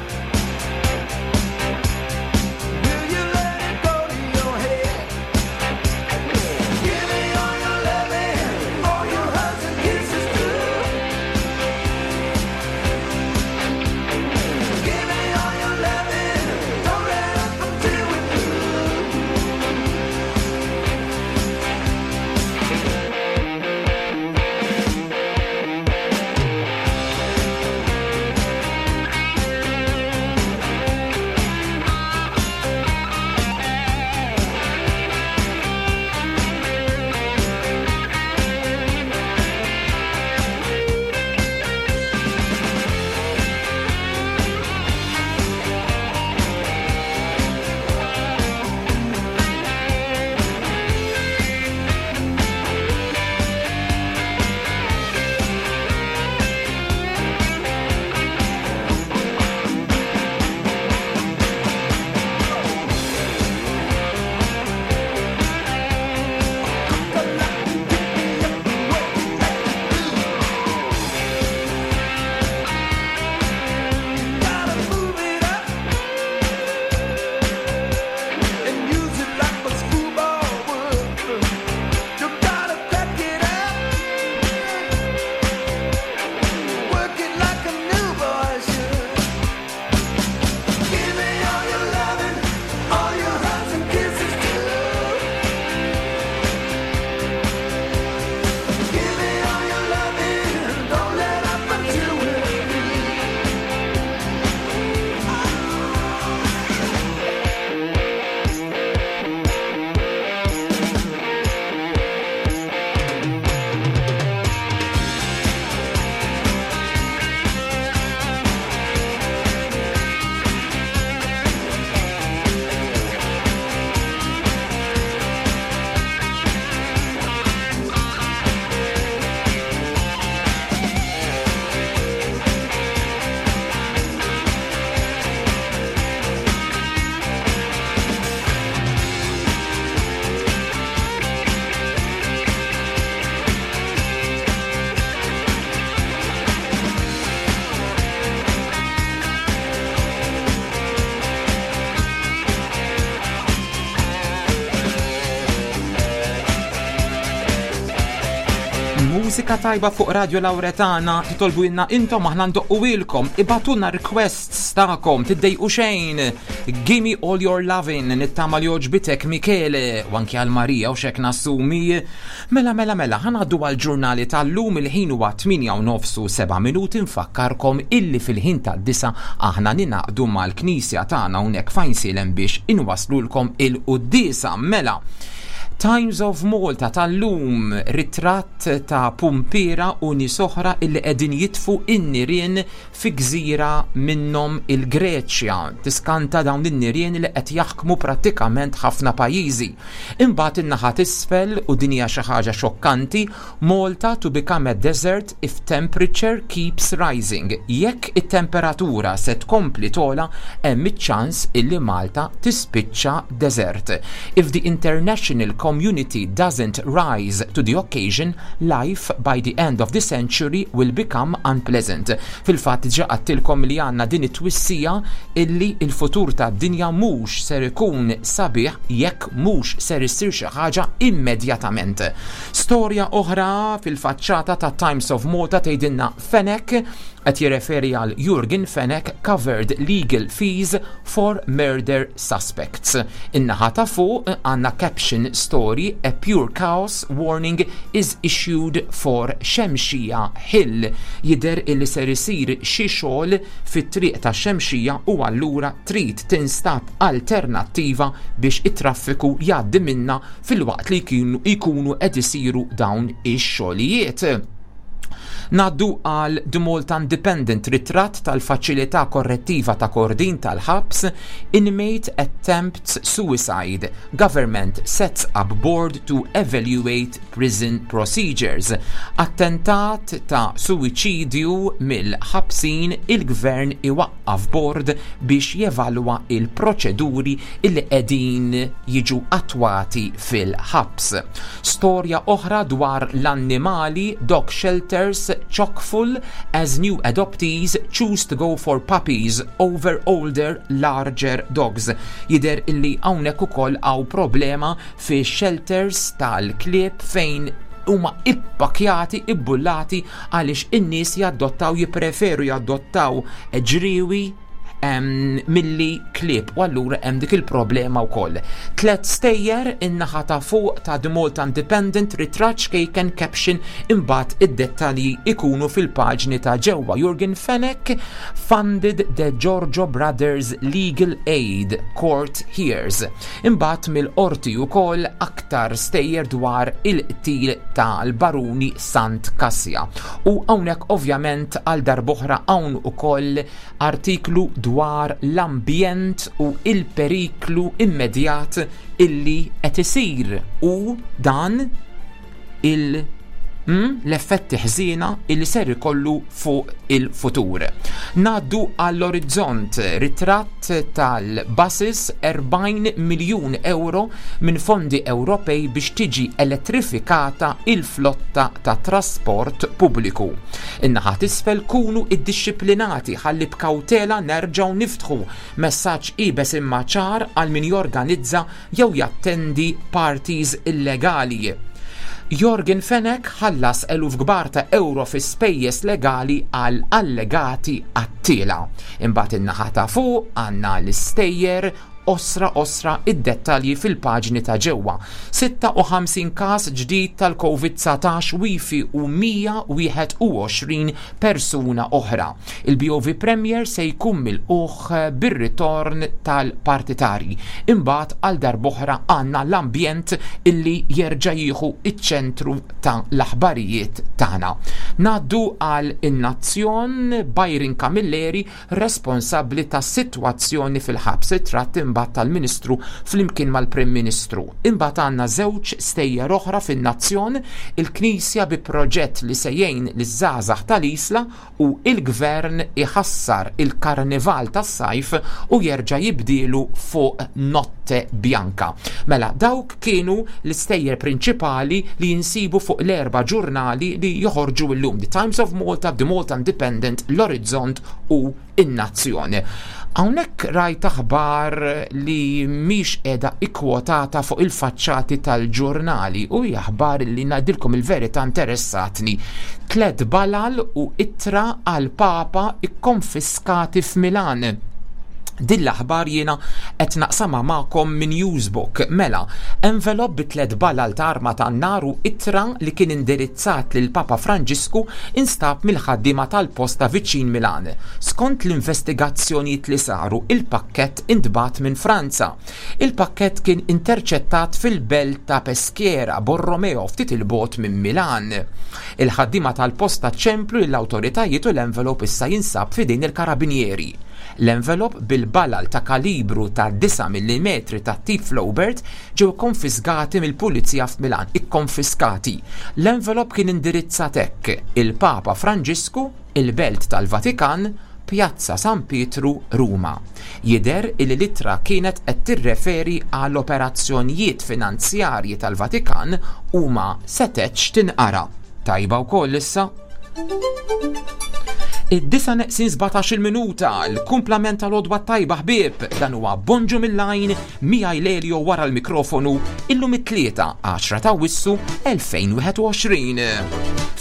Speaker 7: Mużika tajba fuq Radio Lauretana, titolbu intom, aħna ndoqquhielkom, ibagħtulna requests tagħkom, tiddejqu xejn. "Gimme All Your Lovin'", nittama li għoġbitek, Michele, u anki għal Marija u xek nassumi. Mela, mela, mela, ħa ngħaddu għal-ġurnali tal-lum. Il-ħin huwa tmienja u nofs u seba' minuti. Nfakkarkom illi fil-ħin tad-disgħa aħna ningħaqdu mal-knisja tagħna hawnhekk f'Għajnsielem biex inwaslulkom il-quddiesa. Mela, Times of Malta tal-lum, ritratt ta' pumpira u nies oħra illi qegħdin jitfu in-nirien fi gżira minnhom il-Greċja. Tiskanta dawn in-nirien li qed jaħkmu prattikament ħafna pajjiżi. Imbagħad in-naħa t'isfel, u din hija xi ħaġa xokkanti, "Malta to become a desert if temperature keeps rising". Jekk it-temperatura se tkompli togħla, hemm iċ-ċans illi Malta tispiċċa desert. "If the international community doesn't rise to the occasion, life by the end of the century will become unpleasant". Fil-fatt ġa għedtilkom li għandna din it-twissija illi il-futur tad-dinja mhux ser ikun sabiħ jekk mhux ser issir xi ħaġa immedjatament. Storja oħra fil-faċċata ta' Times of Malta tgħidilna Fenech, qed jirreferi għal Yorgen Fenech, covered legal fees for murder suspects. In-naħa ta' fuq għandna caption story, "A pure chaos warning is issued for Xemxija Hill". Jidher illi ser isir xi xogħol fit-triq ta' Xemxija u allura trid tinstab alternattiva biex it-traffiku jgħaddi minna filwaqt li jkunu qed isiru dawn ix-xogħlijiet. Ngħaddu għal The Malta Independent, ritratt tal-faċilità korrettiva ta' Kordin tal-ħabs, "Inmate attempts suicide, government sets up board to evaluate prison procedures". Attentat ta' suwiċidju mill-ħabsin, il-gvern iwaqqaf board biex jevalwa il-proċeduri illi qegħdin jiġu attwati fil-ħabs. Storja oħra dwar l-annimali, "Dog shelters chock full as new adoptees choose to go for puppies over older, larger dogs". Jidher illi hawnhekk ukoll hawn problema fi shelters tal-klieb fejn huma ippakjati, ibbullati, għaliex in-nies jaddottaw, jippreferu jaddottaw ġriwi milli klieb u allura hemm dik il-problema wkoll. Tlet stejjer in-naħa ta' fuq ta' The Malta Independent, ritratt ċkejken, caption, imbagħad id-dettalji ikunu fil-paġni ta' ġewwa. "Yorgen Fenech funded Degiorgio Brothers Legal Aid, Court Hears". Imbagħad mill-qorti wkoll aktar stejjer dwar il-qtil tal-baruni Sant Kassia. U hawnhekk ovvjament għal darb'oħra hawn ukoll artiklu dwar l-ambjent u il-periklu immedjat illi qed isir u dan il- mm, l-effetti ħżiena illi ser ikollu fuq il-futur. Ngħaddu għall-Orizzont, ritratt tal-buses, erbgħin miljun euro minn fondi Ewropej biex tiġi elettrifikata il-flotta ta' trasport pubbliku. In-naħa t'isfel, "Kunu iddixxiplinati ħalli b'kawtela nerġgħu niftħu", messaġġ iebes imma ċar għal min jorganizza jew jattendi parties illegali. Yorgen Fenech ħallas eluf kbar ta' euro fi spejjeż legali għal allegati qattiela. Imbagħad in-naħa ta' fuq għandna l-istejjer osra osra, id-dettalji fil-paġni ta' ġewwa. sitta u ħamsin każ ġdid tal-Covid dsatax wifi u mija u wieħed u għoxrin persuna oħra. Il-B O V Premier se jkun milqugħ bir-ritorn tal-partitari. Imbagħad għal darb'oħra għandna l-ambjent illi jerġa' jieħu iċ-ċentru ta' l-aħbarijiet tagħna. Ngħaddu għal In-Nazzjon, Byron Camilleri responsabbli ta' sitwazzjoni fil-ħabs, ritratt imbagħad tal-Ministru flimkien mal-Prim Ministru. Imbagħad għandna żewġ stejjer oħra fin-Nazzjon, il-Knisja bi proġett li se jgħin liż-żgħażagħ tal-Isla u il-Gvern iħassar il-Karnival tas-sajf u jerġa' jibdilu fuq Notte Bianca. Mela, dawk kienu l-istejjer prinċipali li jinsibu fuq l-erba' ġurnali li joħorġu illum: The Times of Malta, The Malta Independent, l-Orizzont u In-Nazzjoni. Hawnhekk rajt aħbar li mhix qiegħda ikkwotata fuq il-faċċati tal-ġurnali u hija aħbar li ngħidilkom il-verità interessatni. Tlet balal u ittra għal Papa ikkonfiskati f'Milan. Din l-aħbar jiena qed naqsamha magħkom minn Newsbook. Mela, envelop bi tliet balal ta' arma tan-nar u ittra li kien indirizzat lil Papa Franġisku instab mill-ħaddiema tal-posta viċin Milan. Skont l-investigazzjonijiet li saru, il-pakkett intbagħat minn Franza. Il-pakkett kien interċettat fil-belt ta' Peschiera, Borromeo, ftit il-bogħod minn Milan. Il-ħaddiema tal-posta ċemplu lill-awtoritajiet u l-envelop issa jinsab f'idejn il-karabinieri. L-envelop bil-balal ta' kalibru ta' disa' millimetri ta' tip Flobert ġew konfiskati mill-pulizija f'Milan, ikkonfiskati. L-envelop kien indirizzat hekk: il-Papa Franġisku, il-Belt tal-Vatikan, Pjazza San Pietru, Ruma. Jidher li l-ittra kienet qed tirreferi għal operazzjonijiet finanzjarji tal-Vatikan u ma setgħetx tinqara. Tajba wkoll issa. Id-disa neqsin sbatax-il minuta, l-kumplament tal-għodwa tajba ħbieb, dan huwa Bonġu mill-Għajn, miegħi Lelio wara l-mikrofonu, illum it-tlieta, għaxra ta' Awwissu elfejn wieħed u għoxrin.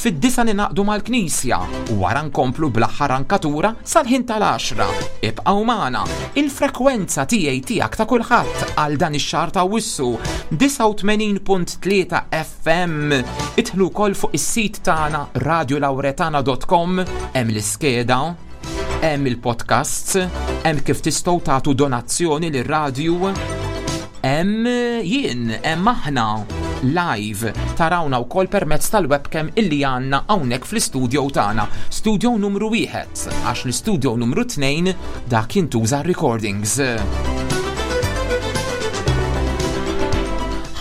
Speaker 7: Fid-disa ninaqdu mal-Knisja, u wara nkomplu bl-aħħar ankatura sal-ħin tal-għaxra. Ibqgħu magħna, il-frekwenza tiegħi tiegħek ta' kulħadd għal dan ix-xahar ta' Awwissu, disgħa u tmenin punt tlieta F M. Idħlu wkoll fuq is-sit tagħna radio lauretana dot com, hemm l-iskeda, hemm il-podcasts, hemm kif tistgħu tagħtu donazzjoni lir-radju, hemm jien, hemm aħna live tarawna wkoll permezz tal-webcam illi għandna hawnhekk fl-istudio tagħna, studio numru wieħed, għax l-istudio numru tnejn dak jintuża recordings.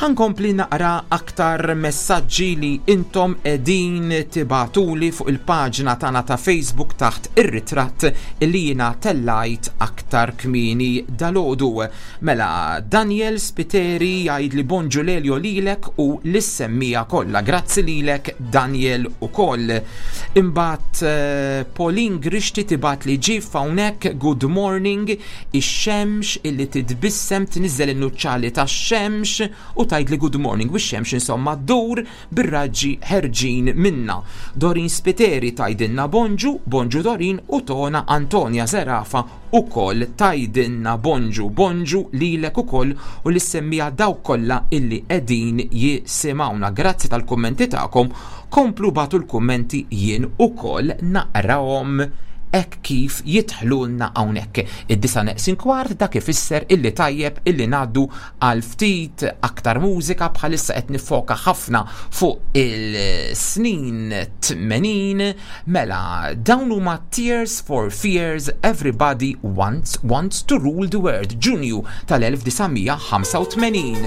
Speaker 7: Ħankompli naqra aktar messaġġi li intom qegħdin tibatuli fuq il-paġna tagħna ta' Facebook taħt ir-ritratt li jiena tellajt aktar kmieni dalgħodu. Mela, Daniel Spiteri jgħid li bonġu Lelio lilek u lis-semmija kollha. Grazzi lilek Daniel ukoll. Imbagħad, eh, Pauline Grixti tibat li ġif hawnhekk good morning, ix-xemx illi titbissem tniżel in-nuċċali tax-xemx u tgħid li good morning u x-xemx insomma ddur bir-raġġi ħerġin minna. Dorin Spiteri tgħidilna bonġu, bonġu Dorin, u Tona Antonia Zerafa ukoll tgħidilna bonġu, bonġu lilek ukoll u li semmija dawk kollha illi qegħdin jisimgħuna. Grazzi tal-kummenti tagħkom, komplu bagħtu l-kummenti jien ukoll naqrahom hekk kif jidħlulna hawnhekk. Id-disa neqsin kwart dak ifisser illi tajjeb illi ngħaddu għal ftit aktar mużika. Bħalissa qed nifoka ħafna fuq il-snin tmenin. Mela, dawn huma Tears for Fears, Everybody Wants, Wants to Rule the World, Ġunju tal-elf disa' mija ħamsa u tmenin.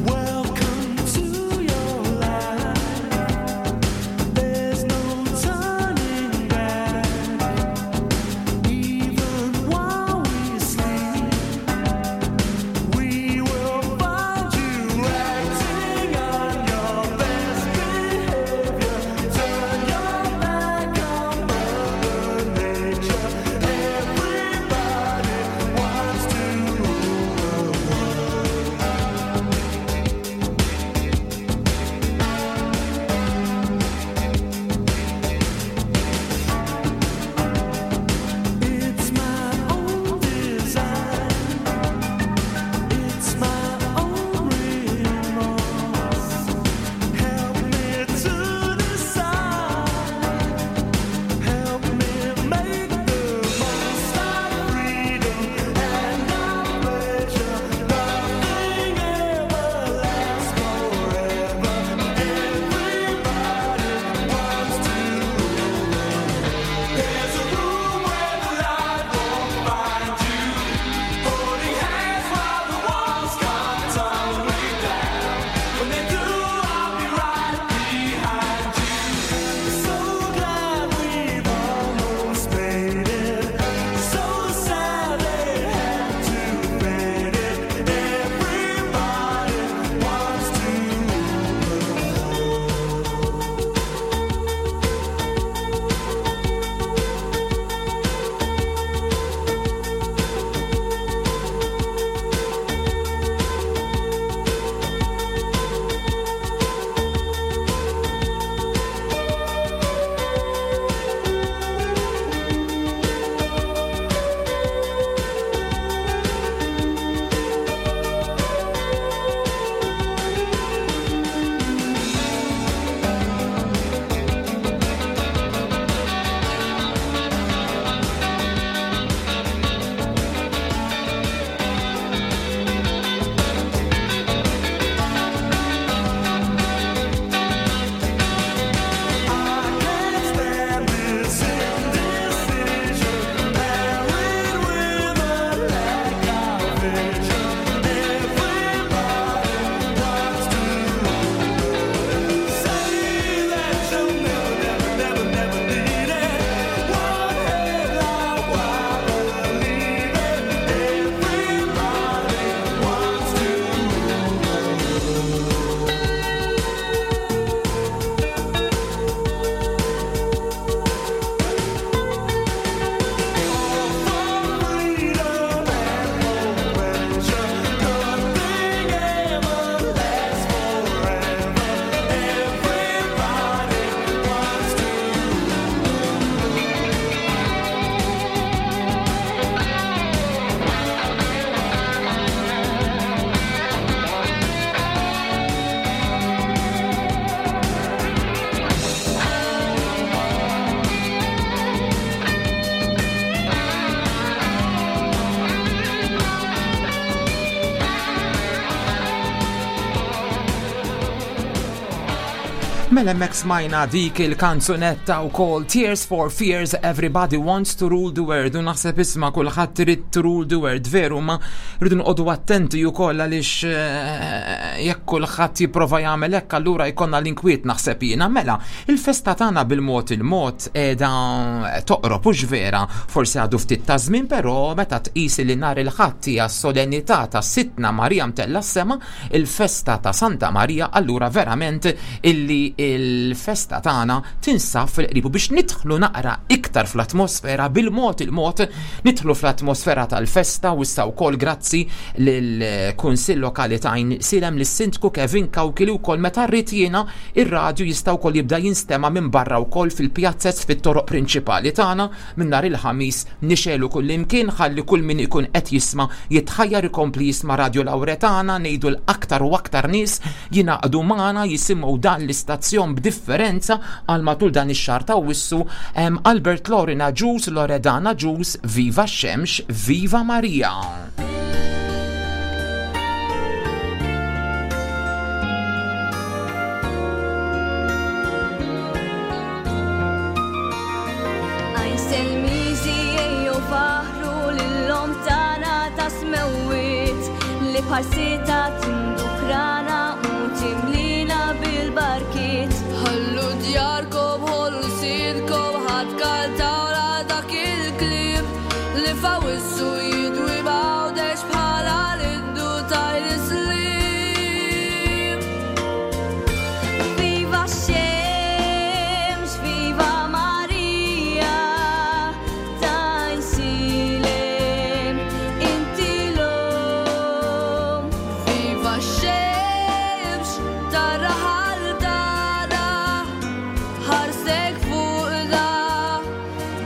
Speaker 8: Welcome to your life. There's no turning back.
Speaker 7: Mela hemmhekk smajna dik il-kanzunetta wkoll Tears for Fears, Everybody Wants to Rule the World, u naħseb isma' kulħadd irid to rule the world, veru, ma rridu noqogħdu attenti wkoll għaliex eh, jekk kulħadd jipprova jagħmel hekk allura jkollna l-inkwiet, naħseb jiena. Mela, il-festa tagħna bil-mod il-mod qiegħda toqrob, hux vera, forsi għadu ftit ta' żmien, però meta tqis li nhar il-Ħadd hija solennità ta' Sidtna Marija Mtella s-Sema, il-festa ta' Santa Marija, allura verament illi il-festa tagħna tinsab fil-qrib. Biex nidħlu naqra iktar fl-atmosfera, bil-mod il-mod nidħlu fl-atmosfera tal-festa, u issa wkoll grazzi lill-Kunsill Lokali ta' Għajnsielem, lis-Sindku Kevin Cauchi, li wkoll meta rrid jiena ir-radju jista' wkoll jibda jinstema' minn barra wkoll fil-pjazzez, fit-toroq prinċipali tagħna. Minn nhar il-Ħamis nixegħlu kull imkien ħalli kull min ikun qed jisma' jitħajjar ikompli jisma' Radio Lauretana, ngħidu l-aktar u aktar nies jingħaqdu magħna jisimgħu dan l-istazzjon b'differenza għal matul dan ix-xahar ta' Awwissu. Albert Lorina Ġus, Loredana Ġus, Viva Xemx, Viva Maria.
Speaker 4: Għajnselmiżi ejjew faħru lil-lom tagħna ta' smewwiet li bħal-sita tindukrana u timlina bil-barkiet.
Speaker 10: Ħallu djarkom, ħollu sidkom, ħadd kaltawla dak il-kliem li fawissu jidwi b'Għawdex bħala l-indu tajl-Islim.
Speaker 4: Viva x-xemx, viva Marija, t'Għajnsielem, inti l-omm.
Speaker 10: Viva x-xemx, tar-raħal tagħna, ħarsek fuqna,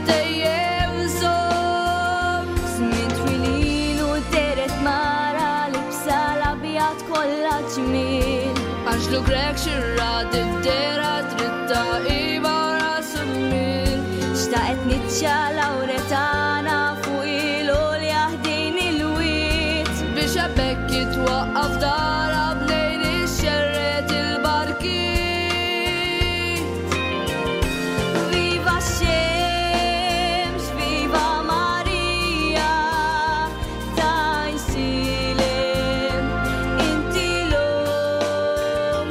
Speaker 10: dejjem żomm.
Speaker 4: Żmien twil ilu dehret mara libsa l-abjad kollha ġmiel.
Speaker 10: Anġlu Grech xirra id-dehra dritta iba ras il-mil.
Speaker 4: Xtaqet niċċa Lauretana fuq il-għolja ħdejn il-wied.
Speaker 10: Biex hemmhekk jitwaqqaf dara bnejn ixxerred il-barkiet.
Speaker 4: Viva x-xemx, viva Marija, t'Għajnsielem, inti l-omm.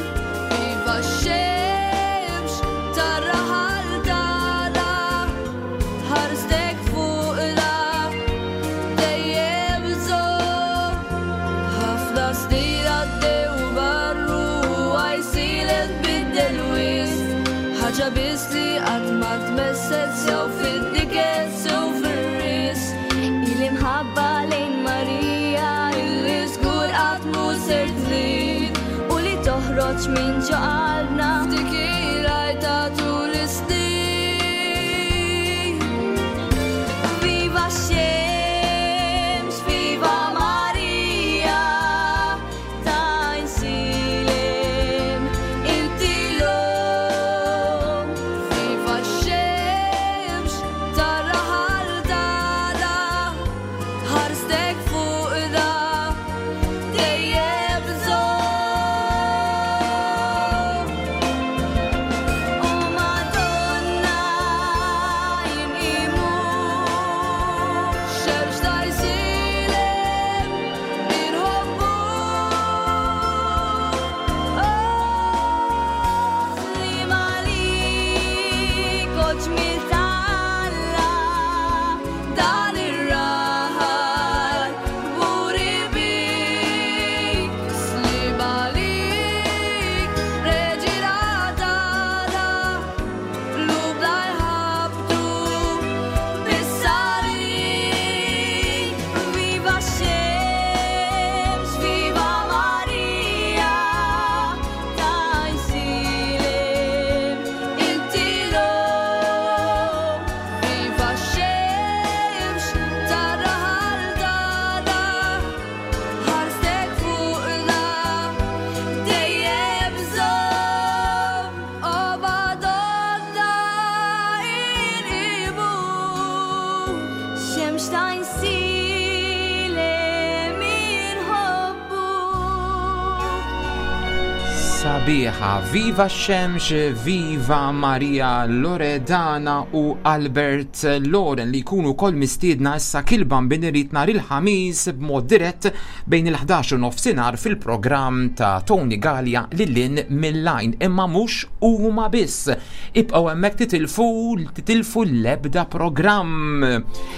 Speaker 10: Viva x-xemx, tar-raħal tagħna, ħarstek fuqna, dejjem żomm. Ħafna snin għaddew barru, Għajnsielem tbiddel wisq. Ħaġa biss li qatt ma tmesset sew fid-niket sew fir-risq.
Speaker 4: Il-imħabba lejn Marija
Speaker 10: Illi żgur qatt mhu ser tnid.
Speaker 4: u li toħroġ minn ġo qalbna.
Speaker 10: F'dik il-għajta tul is-snin.
Speaker 4: Viva x-xemx, viva Marija, t'Għajnsielem, inti l-omm.
Speaker 10: Viva x-xemx, tar-raħal tagħna, ħarstek fuqna, dejjem żomm.
Speaker 7: Sabiħa. Viva x-xemx, viva Maria Loredana u Albert Loren li jkunu kol mistiedna issa kilban binirit nhar il-ħamis b'mod dirett bejn il-ħdax u nofsinhar fil-programm ta' Tony Gallia lil mill-lajn, imma mhux huma biss. Ibqgħu hemmhekk titilfu titilfu l-ebda programm.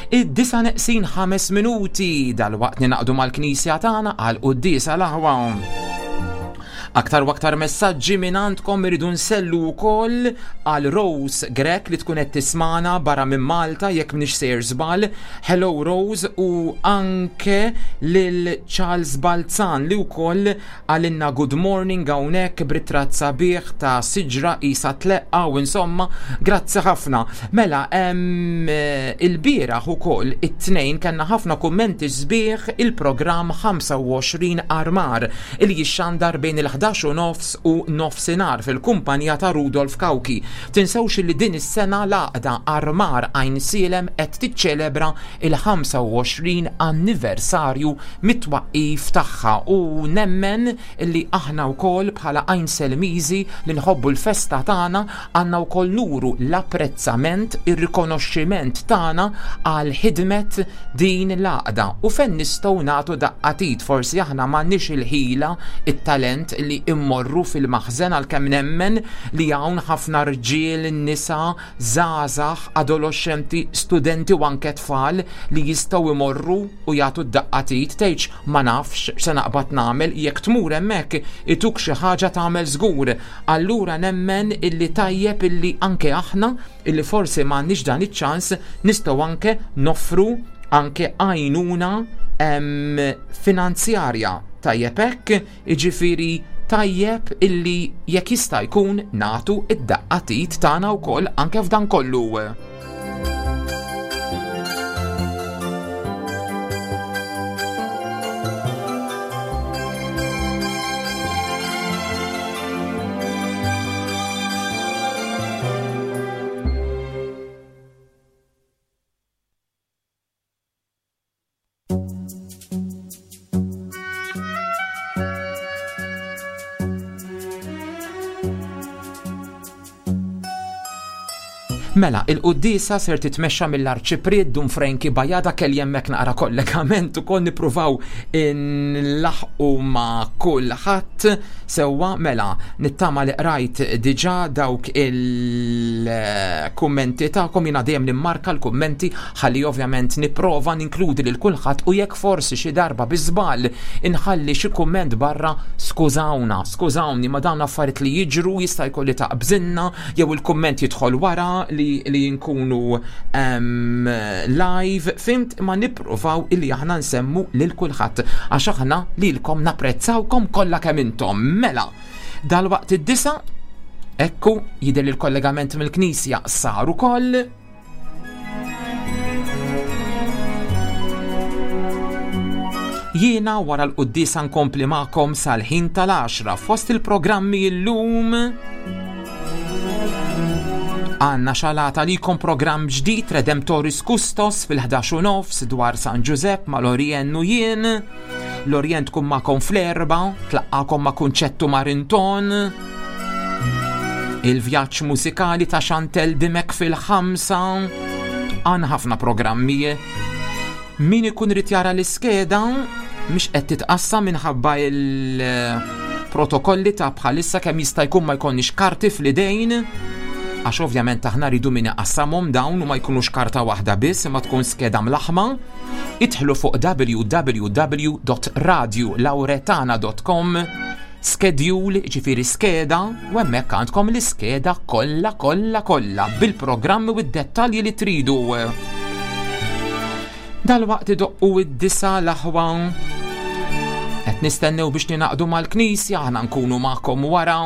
Speaker 7: Id-disa neqsin ħames minuti dal-waqt ninaqdu mal-knisja tagħna għal quddiesa l-aħwa. Aktar u aktar messaġġi minn għandkom iridu nsellu wkoll għal Rose Grek li tkun qed tismana barra minn Malta jekk m'iniex sejjer żball. Hello Rose, u anke lil Charles Balzan li wkoll għalinna good morning hawnhekk b'ritratt sabiħ ta' siġra isa tleqqa u insomma, grazzi ħafna. Mela, il-bieraħ ukoll it-tnejn kellna ħafna kummenti sbieħ il-programm ħamsa u għoxrin Armar il jixxandar bejn il-ħdax u nofs u nofsinhar fil-kumpanija ta' Rudolf Kawki. Tinsewx li din is-sena l-għaqda Armar Għajnsielem qed tiċċelebra il-ħamsa u għoxrin anniversarju mit-twaqqif tagħha u nemmen li aħna wkoll bħala Għajnselmiżi li nħobbu l-festa tagħna għandna wkoll nuru l-apprezzament, ir-rikonoxximent tagħna għal ħidmet din l-għaqda u fejn nistgħu nagħtu daqqatit. Forsi aħna m'għandniex il-ħila, it-talent li immorru fil-maħżen, għalkemm nemmen li hawn ħafna rġiel, nisa, żgħażagħ, adolescenti, studenti u anke tfal li jistgħu imorru u jagħtu d-daqqatit. Tgħidx ma nafx x'se naqbad nagħmel, jekk tmur hemmhekk ituk xi ħaġa tagħmel żgur. Allura nemmen illi tajjeb illi anke aħna illi forsi m'għandniex dan iċ-ċans nistgħu anke noffru anke għajnuna, em, finanzjarja. Tajjeb hekk, jiġifieri tajjeb illi jekk jista' jkun nagħtu id-daqqatit tagħna wkoll anke f'dan kollu. Mela, il-quddiesa ser titmexxa mill-Arċipriet Dun Franki Bajada, kelli hemmhekk naqra kollegament ukoll nippruvaw nlaħqu ma' kulħadd sewwa. Mela, nittama li qrajt diġà dawk il-kummenti tagħkom, jiena dejjem nimmarka l-kummenti ħalli ovvjament nipprova ninkludi lil kulħadd, u jekk forsi xi darba bi żball inħalli xi kumment barra, skużawna, skużawni, ma dawn affarijiet li jiġru, jista' jkolli taqbżinna jew il-kumment jidħol wara li, li nkunu, em, live, fimt, ma nippruvaw illi aħna nsemmu lil kulħadd għax aħna lilkom napprezzawkom kollha kemm intom. Mela, dalwaqt id-disa, ekku jidher li l-kollegament mill-Knisja sar ukoll. Jiena wara l-quddiesa nkompli magħkom sal-ħin tal-għaxra fost il-programmi llum. Għanna xalata li jkun programm ġdid Redemptoris Custos fil-ħdax u nofs dwar San Ġużepp ma' Lorien u jien. Lorien tkun magħkom fl-erba, tlaqqakom ma' Kunċettu Marinton. Il-vjaġġ mużikali ta' Chantel Dimek fil-ħamsa. Għanna ħafna programmi. Min ikun irid jara l-iskeda mhix qed titqassam minħabba il-protokolli ta' bħalissa kemm jista' jkun ma jkollniex karti fl-idejn, għax ovvjament aħna rridu min iqassamhom dawn u ma jkunux karta waħda biss, imma tkun skeda mlaħma. Idħlu fuq w w w dot radio lauretana dot com, schedule, ġifieri skeda, u hemmhekk għandkom l-iskeda kollha kollha kollha bil-programmi u d-dettalji li tridu. Dalwaqt idoqqu id-disa l-aħwa. Qed nistennew biex ninaqdu mal-knisja, aħna nkunu magħkom wara.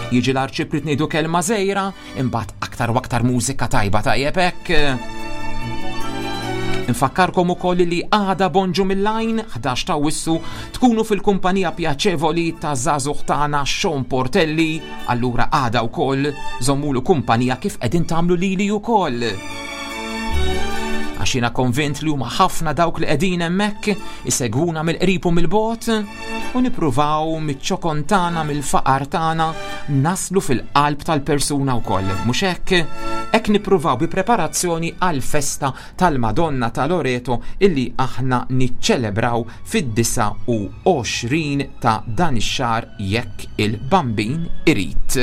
Speaker 7: Jiġi l-arċipriet ngħidu kelma żgħira, imbagħad aktar u aktar mużika tajba tajjeb hekk. Infakkarkom ukoll li għada bonġu mill-lajn, ħdax ta' wissu, tkunu fil-kumpanija pjaċevoli ta' żagħżugħ tagħna Sean Portelli, allura għada wkoll żommulu kumpanija kif qegħdin tagħmlu lili wkoll. Għax Għax jiena konvint li huma ħafna dawk li qegħdin hemmhekk isegwuna mill-qrib u mill-bogħod u nippruvaw miċ-ċokon tagħna, mill-faqar tagħna naslu fil-qalb tal-persuna wkoll. Mhux hekk? Hekk nippruvaw bi preparazzjoni għal-festa tal-Madonna ta' Loreto illi aħna niċċelebraw fid-disgħa u għoxrin ta' dan ix-xahar jekk il-Bambin irid.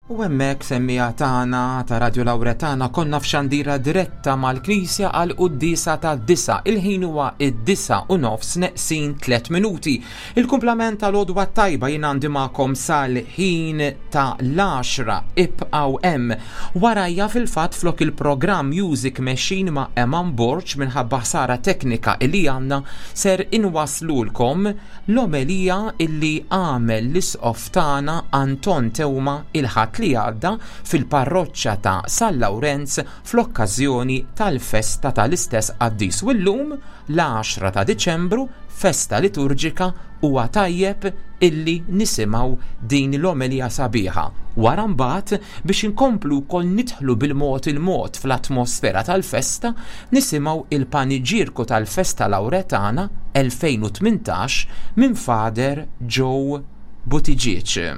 Speaker 7: U hemmhekk semmija tagħna ta' Radio Lauretana konna f'xandira diretta mal-Knisja għal quddiesa ta' disa. Il-ħin huwa id-disa u nofs neqsin tliet minuti. Il-kumplament tal-għodwa tajba jien għandi magħkom sal-ħin ta' l-għaxra, ibqgħu hemm. Warajja fil-fatt flok il-programm Music Machine ma' Eman Borg minħabba ħsara teknika illi għandna ser inwaslulkom l-omelija illi għamel l-isqof tagħna Anton Teuma il-Ħadd li għadda fil-parroċċa ta' San Lawrenz fl-okkażjoni tal-festa tal-istess qaddis. U llum l-għaxra ta' Diċembru, festa liturġika, huwa tajjeb illi nisimgħu din l-omelija sabiħa. Wara mbagħad biex inkomplu wkoll nidħlu bil-mod il-mod fl-atmosfera tal-festa, nisimgħu il-paniġierku tal-festa Lauretana elfejn u tmintax minn Father Joe Buttigieg.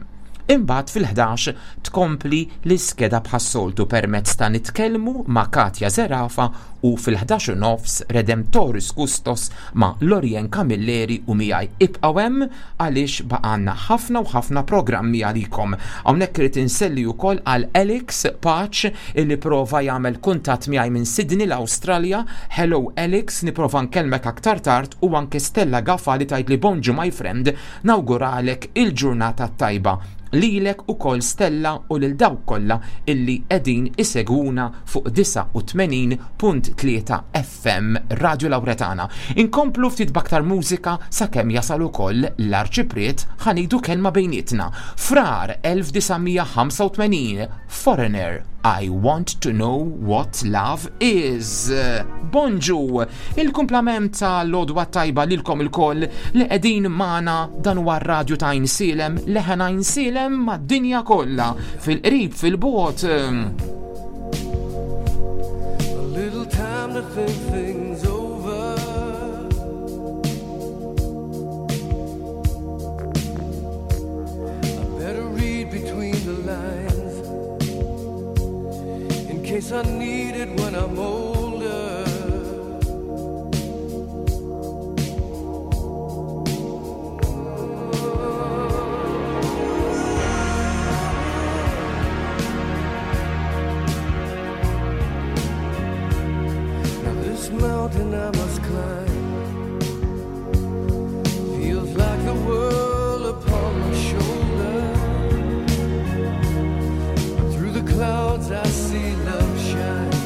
Speaker 7: Imbagħad fil-ħdax tkompli l-iskeda bħas-soltu permezz ta' Nitkellmu ma' Katja Zerafa u fil-ħdax u nofs Redemptoris Custos ma' Lorien Camilleri u miegħi. Ibqgħu hemm għaliex baqgħanna ħafna u ħafna programmi għalikom. Hawnhekk irid inselli wkoll għal Alex Paċ illi prova jagħmel kuntatt miegħi minn Sydney l-Awstralja. Hello Alex, nipprova nkellmek aktar tard, u anke Stella Gaffa li tgħidli bonġu my friend, nawguralek il-ġurnata tajba lilek ukoll Stella u lil dawk kollha illi qegħdin isegwuna fuq disgħa u tmenin punt tlieta F M Radio Lauretana. Inkomplu ftit b'aktar mużika sakemm jasal ukoll l-Arċipriet ħanidu kelma bejnietna. Frar elf disa' mija ħamsa u tmenin, Foreigner, I Want to Know What Love Is. Bonġu, il-kumplament tal-għodwa tajba lilkom ilkoll li qegħdin magħna. Dan huwa r-radju ta' Għajnsielem, leħen Għajnsielem mad-dinja kollha, fil-qrib, fil-bogħod.
Speaker 11: A little time to think things over. I better read between the lines in case I need it when I'm older. This mountain I must climb feels like the world upon my shoulder. But through the clouds I see love shine.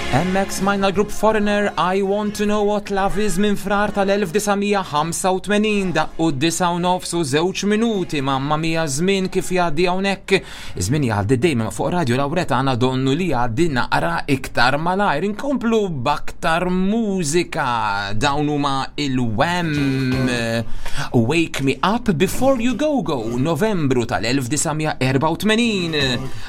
Speaker 7: Hemmhekk smajna l-grupp Foreigner, I Want to Know What Love Is minn Frar tal-elf disa' mija ħamsa u tmenin. Daqqu d-disgħa u nofs u żewġ minuti. Mamma mia, żmien kif jgħaddi hawnhekk. Żmien jgħaddi dejjem fuq Radio Lauretana, donnu li jgħaddi naqra iktar malajr. Inkomplu b'aktar mużika. Dawn huma il-Wham, Wake Me Up Before You Go Go, Novembru tal-elf disa' mija erbgħa u tmenin.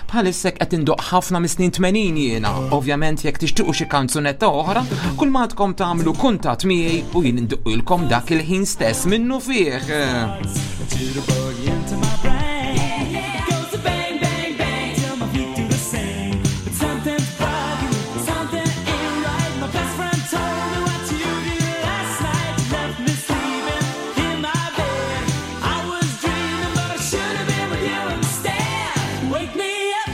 Speaker 7: Bħalissa qed indoqq ħafna mis-snin tmenin jiena. Ovvjament, jekk tixtiequ xi kanzunetta oħra, kull ma għandkom tagħmlu kuntatt miegħi u jien indoqqilkom dak il-ħin stess minnu fih.
Speaker 12: Jitterbug into my brain. Goes to bang, bang, bang till my feet do the same. But something's bugging me, something ain't right. My best friend told me what you did last night. You left me sleeping in my bed. I was dreaming, but I should have been with you instead. Wake me up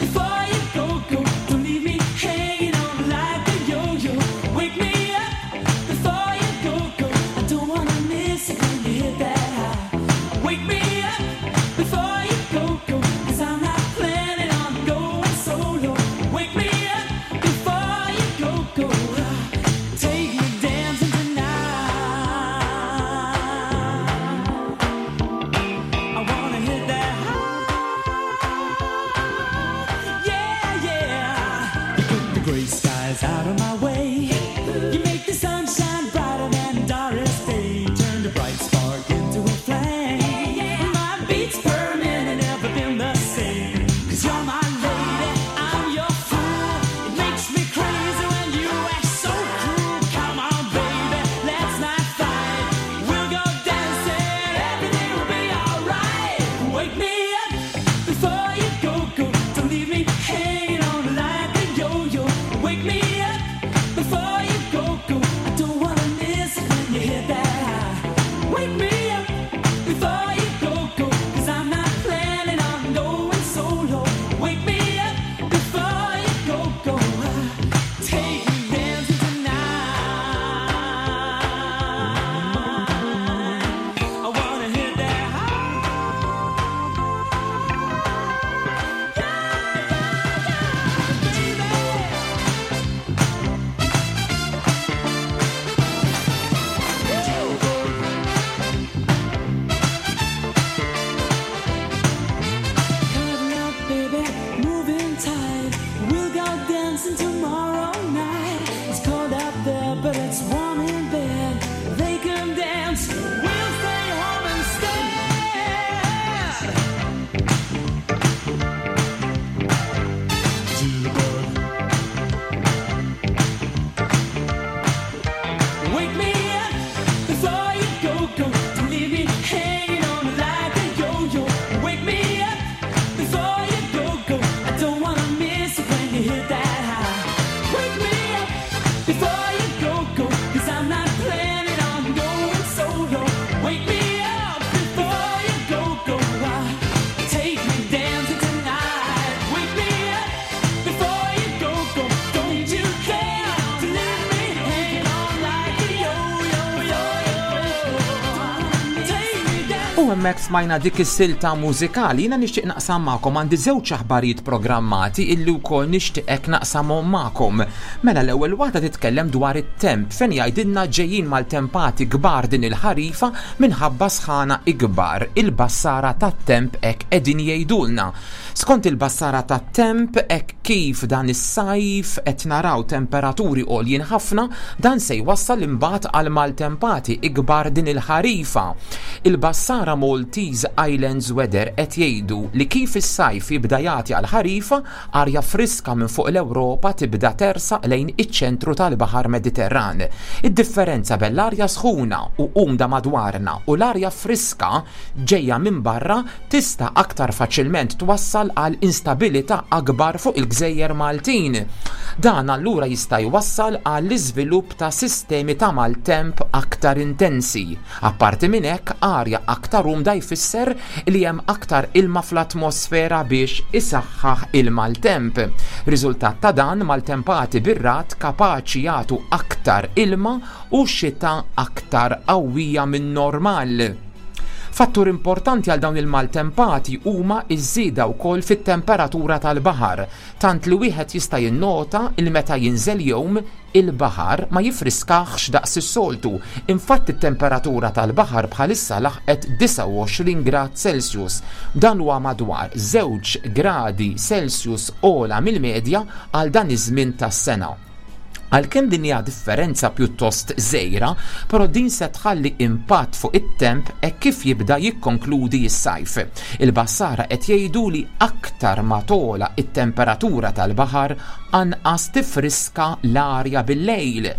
Speaker 12: before you go, go. Don't leave me hanging on like a yo-yo. Wake me up before you go, go. I don't wanna miss it when you hit that high. Wake me up before you go, go. 'Cause I'm not planning on going solo. Wake me up before you go, go. Take me dancing tonight. I wanna hit that high. Yeah, yeah. You put the gray skies out of my way. You make the sunshine brighter than Doris Day. Turn the bright spark into a flame. My beats per minute never been the same. 'Cause you're my lady, I'm your fool. It makes me crazy when you act so cruel. Come on, baby, let's not fight. We'll go dancing, everything will be alright. Wake me up before you go, go. Don't leave me hanging on like a yo-yo. Wake me up before you go, go. I don't wanna miss it when you hit that high. Wake me up before you go, go. 'Cause I'm not planning on going solo. Wake me up before you go, go. Take me dancing tonight. I wanna hit that high. Yeah, yeah, baby. Cuddle up, baby, moving tight. We'll go dancing tomorrow night. It's cold out there, but it's warm in bed. They can dance, we'll stay home instead. Jitterbug. Wake me up before you go, go. Don't leave me hanging on like a yo-yo. Wake me up before you go, go. I don't wanna miss it when you hit that high. Wake me up before you go, go. 'Cause I'm not planning on going solo. Wake me up before you go, go. Take me dancing tonight. Wake me up before you go, go. Don't you dare to leave me hanging on like a yo-yo, yo-yo. Take me dancing.
Speaker 7: U hemmhekk smajna dik is-silta mużikali. Jiena nixtieq naqsam magħkom, għandi żewġ aħbarijiet programmati illi wkoll nixtieqek naqsamhom magħkom. Mela, l-ewwel waħda titkellem dwar it-temp, fejn jgħidilna ġejjin maltempati kbar din il-ħarifa minħabba sħana ikbar. Il-bassara tat-temp hekk qegħdin jgħidulna. Skont il-bassara tat-temp, hekk kif dan is-sajf qed naraw temperaturi għoljin ħafna, dan se jwassal imbagħad għal maltempati ikbar din il-ħarifa. Il-bassara Maltese Islands Weather qed jgħidu li kif is-sajf jibda jagħti għal ħarifa, arja friska minn fuq l-Ewropa tibda tersaq lejn iċ-ċentru tal-Baħar Mediterran. Id-differenza bejn l-arja sħuna u umda madwarna u l-arja friska ġejja minn barra tista' aktar faċilment twassal għal instabilità akbar fuq il-gżejjer Maltin. Dan allura jista' jwassal għall iżvilupp ta' sistemi ta' maltemp aktar intensi. Apparti minn hekk, arja aktar umda jfisser li hemm aktar ilma fl-atmosfera biex isaħħaħ il-maltemp. Riżultat ta' dan, maltempati bir-ragħad kapaċi jagħtu aktar ilma u xita aktar qawwija minn normal. Fattur importanti għal dawn il-maltempati huma iż-żieda wkoll fit-temperatura tal-baħar, tant li wieħed jista' jinnota il meta jinżel jum il-baħar ma jifriskax daqs is-soltu. Infatti it-temperatura tal-baħar bħalissa laħqet disgħa u għoxrin grad Celsius. Dan huwa madwar żewġ gradi Celsius ogħla mill-medja għal dan iż-żmien tas-sena. Għalkemm din hija differenza pjuttost żgħira, però din se tħalli impatt fuq it-temp hekk kif jibda jikkonkludi s-sajf. Il-bassara qed jgħidu li aktar ma tola it-temperatura tal-baħar anqas tifriska l-arja bil-lejl.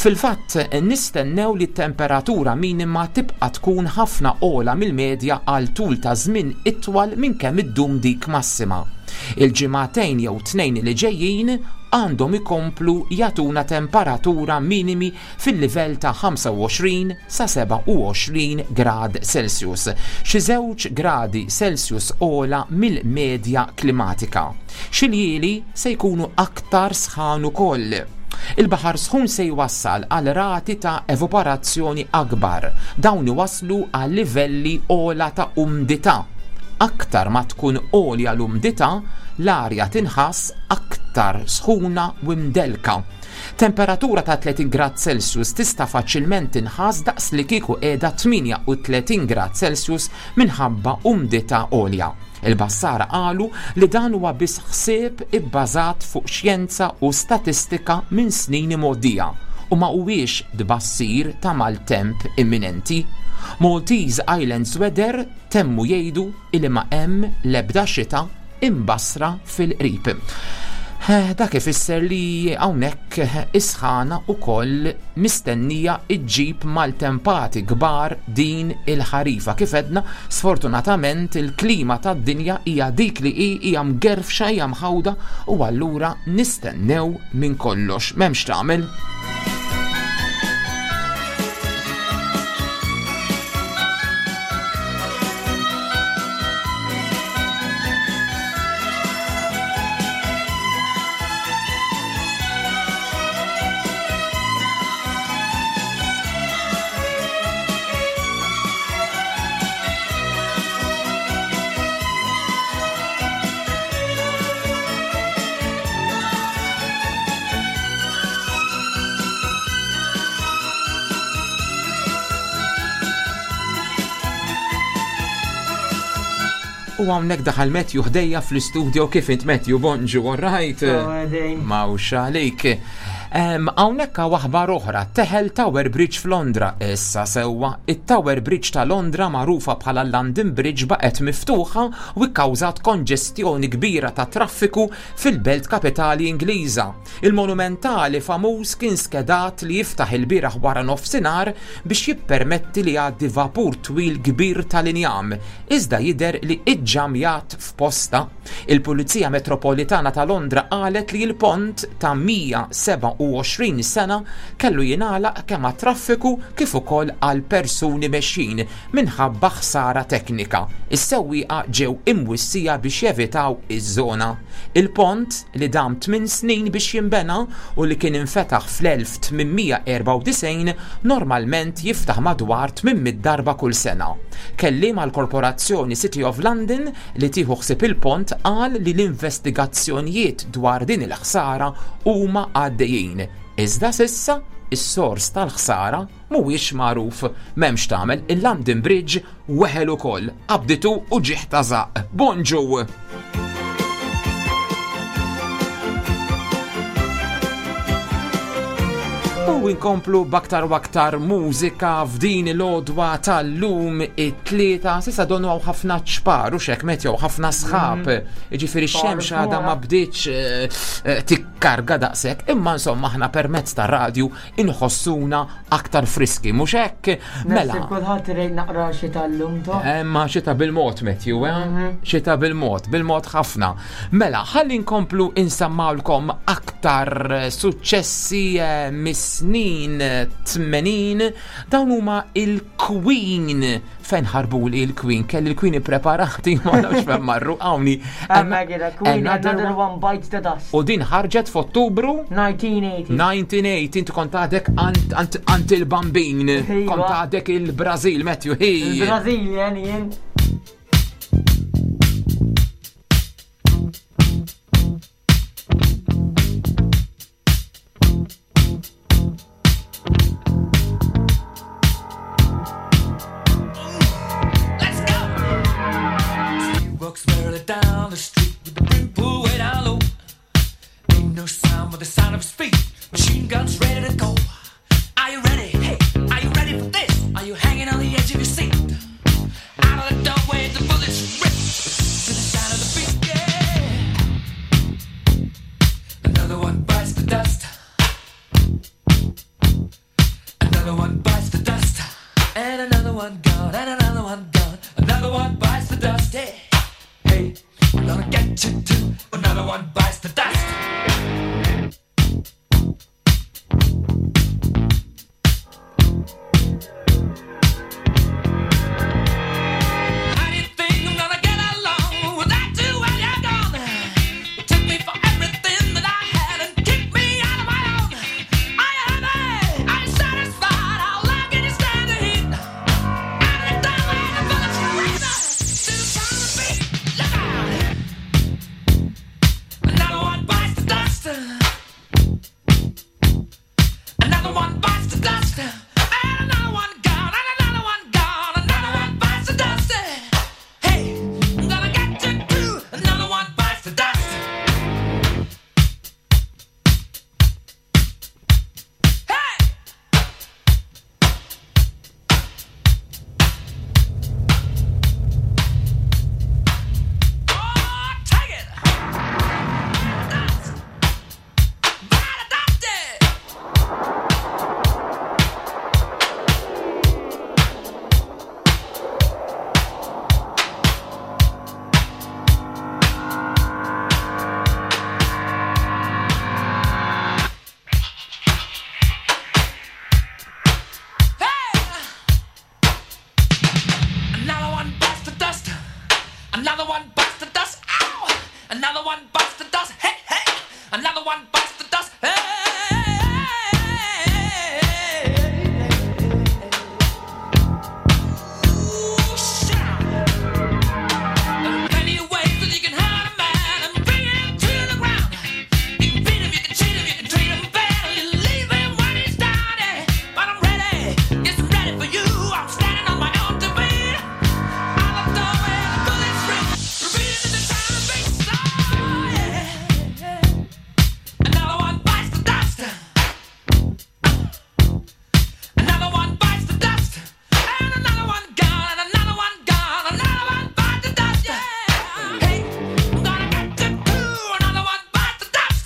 Speaker 7: Fil-fatt nistennew li t-temperatura minima tibqa' tkun ħafna ogħla mill-medja għal tul ta' żmien itwal minn kemm iddum dik massima. Il-ġimagħtejn jew tnejn li ġejjin għandhom ikomplu jagħtuna temperatura minimi fil-livell ta' ħamsa u għoxrin sa seba' u għoxrin grad Celsius, xi żewġ gradi Celsius ogħla mill-medja klimatika. Xi ljieli se jkunu aktar sħan ukoll. Il-baħar sħun se jwassal għal rati ta' evaporazzjoni akbar, dawn iwasslu għal livelli ogħla ta' umdità. Aktar ma tkun għolja l-umdità, l-arja tinħass aktar sħuna u mdelka. Temperatura ta' tletin grad Celsius tista' faċilment tinħass daqs li kieku qiegħda tmienja u tletin grad Celsius minħabba umdità għolja. Il-bassara qalu li dan huwa biss ħsieb ibbażat fuq xjenza u statistika minn snin imgħoddija u ma huwiex tbassir ta' maltemp imminenti. Maltese Islands Weather temmu jgħidu illi ma hemm l-ebda xita imbassra fil-qrib. Eh, dak ifisser li hawnhekk isħana wkoll mistennija iġġib maltempati kbar din il-ħarifa. Kif edna, sfortunatament il-klima tad-dinja hija dik li hi, hija mgerfxa, hija mħawda u allura nistennew minn kollox. M'hemmx tagħmel. U hawnhekk daħal Matthew ħdejja fl-istudio. Kif int Matthew? Bonġu, all right? Mawx għalik. Hawnhekk hawn aħbar oħra, teħel Tower Bridge f'Londra. Issa sewwa, it-Tower Bridge ta' Londra magħrufa bħala London Bridge baqgħet miftuħa u kkawżat konġestjoni kbira ta' traffiku fil-belt kapitali Ingliża. Il-monumentali famuż kien skedat li jiftaħ il-bieraħ wara nofsinhar biex jippermetti li jgħaddi vapur twil kbir tal-injam, iżda jidher li iġġamjat f'posta. Il-Pulizija Metropolitana ta' Londra qalet li l-pont ta' mija seba' u għoxrin sena kellu jingħalaq kemm għat-traffiku kif ukoll għal persuni mexjin minħabba ħsara teknika. Is-sewwieqa ġew imwissija biex jevitaw iż-żona. Il-pont li dam tmien snin biex jinbena u li kien infetaħ fl-elf tmien mija erba' u disgħin normalment jiftaħ madwar tmien mitt darba kull sena. Kelliem għall-Korporazzjoni City of London li tieħu ħsieb il-pont qal li l-investigazzjonijiet dwar din il-ħsara huma għaddejjin. Iżda sissa is-sors tal-ħsara mhuwiex magħruf. M'hemmx tagħmel, il-London Bridge weħel ukoll, qabditu u ġieħ ta' żaqq. Bonġu! U nkomplu b'aktar u aktar mużika f'din il-għodwa tal-lum it-tlieta. Sissa donu hawn ħafna ċpar u xek metjow ħafna sħab.
Speaker 13: Mm.
Speaker 7: Jiġifieri x-xemx għadha ma bdietx, eh, eh, tikkarga daqshekk, imma insomma aħna permezz tar-radju inħossuna aktar friski, mhux hekk? Mela.
Speaker 13: Naħseb kulħadd irid naqra xita llum to.
Speaker 7: Imma xita bil-mod, Matthew, eh?
Speaker 13: Mhm.
Speaker 7: Xita bil-mod, bil-mod ħafna. Mela, ħalli nkomplu insemmawlkom aktar mill-aktar suċċessi eh, mis-snin tmenin. Dawn huma il-Queen. Fejn ħarbuli il-Queen? Kelli il-Queen ippreparati, ma nafx fejn marru hawnni.
Speaker 13: Hemmhekk qiegħda, Queen, Another One Bites the Dust.
Speaker 7: U din ħarġet f'Ottubru
Speaker 13: nineteen eighty.
Speaker 7: nineteen eighty, inti kont għadek ant, ant, ant il-bambin,
Speaker 13: Iva.
Speaker 7: kont għadek il-Brazil, Matthew, hi.
Speaker 13: Il-Brazilian jien.
Speaker 8: Let's go! Steve walks merrily down the street with the brim pulled way down low. Ain't no sound but the sound of his feet. Machine guns ready to go. Are you ready? Hey, are you ready for this? Are you hanging on the edge of your seat? Out of the doorway, the bullets rip to the sound of the beat. Yeah. Another one bites the dust. Another one bites the dust. And another one gone, and another one gone. Another one bites the dust. Hey, hey, I'm gonna get you too. Another one bites the dust. How do you think I'm gonna get along without you when you're gone? You took me for everything that I had and kicked me out of my own. Are you happy? Are you satisfied? How long can you stand the heat? Out of the doorway, the bullets rip to the sound of the beat. Look out! Another one bites the dust. Another one bites the dust. And another one gone. And another one gone. Another one bites the dust. Hey, I'm gonna get you too. Another one bites the dust. Hey! Oh, take it! Dust. Bite the dust. Another one bites the dust. Another one bites the dust. Ow! Another one bites the dust. Hey, hey! Another one bites the dust. Hey! Ooh, shut up. There are plenty of ways that you can hurt a man and bring him to the ground. You can beat him, you can cheat him, you can treat him bad, you leave him when he's down. Yeah. But I'm ready, yes, I'm ready for you. I'm standing on my own two feet. Out the doorway, the bullets rip, repeating to the sound of beat. Oh, yeah. Another one bites the dust. Another one bites the dust. And another one gone, and another one gone, another one bites the dust. Yeah. Hey, I'm gonna get you too. Another one bites the dust.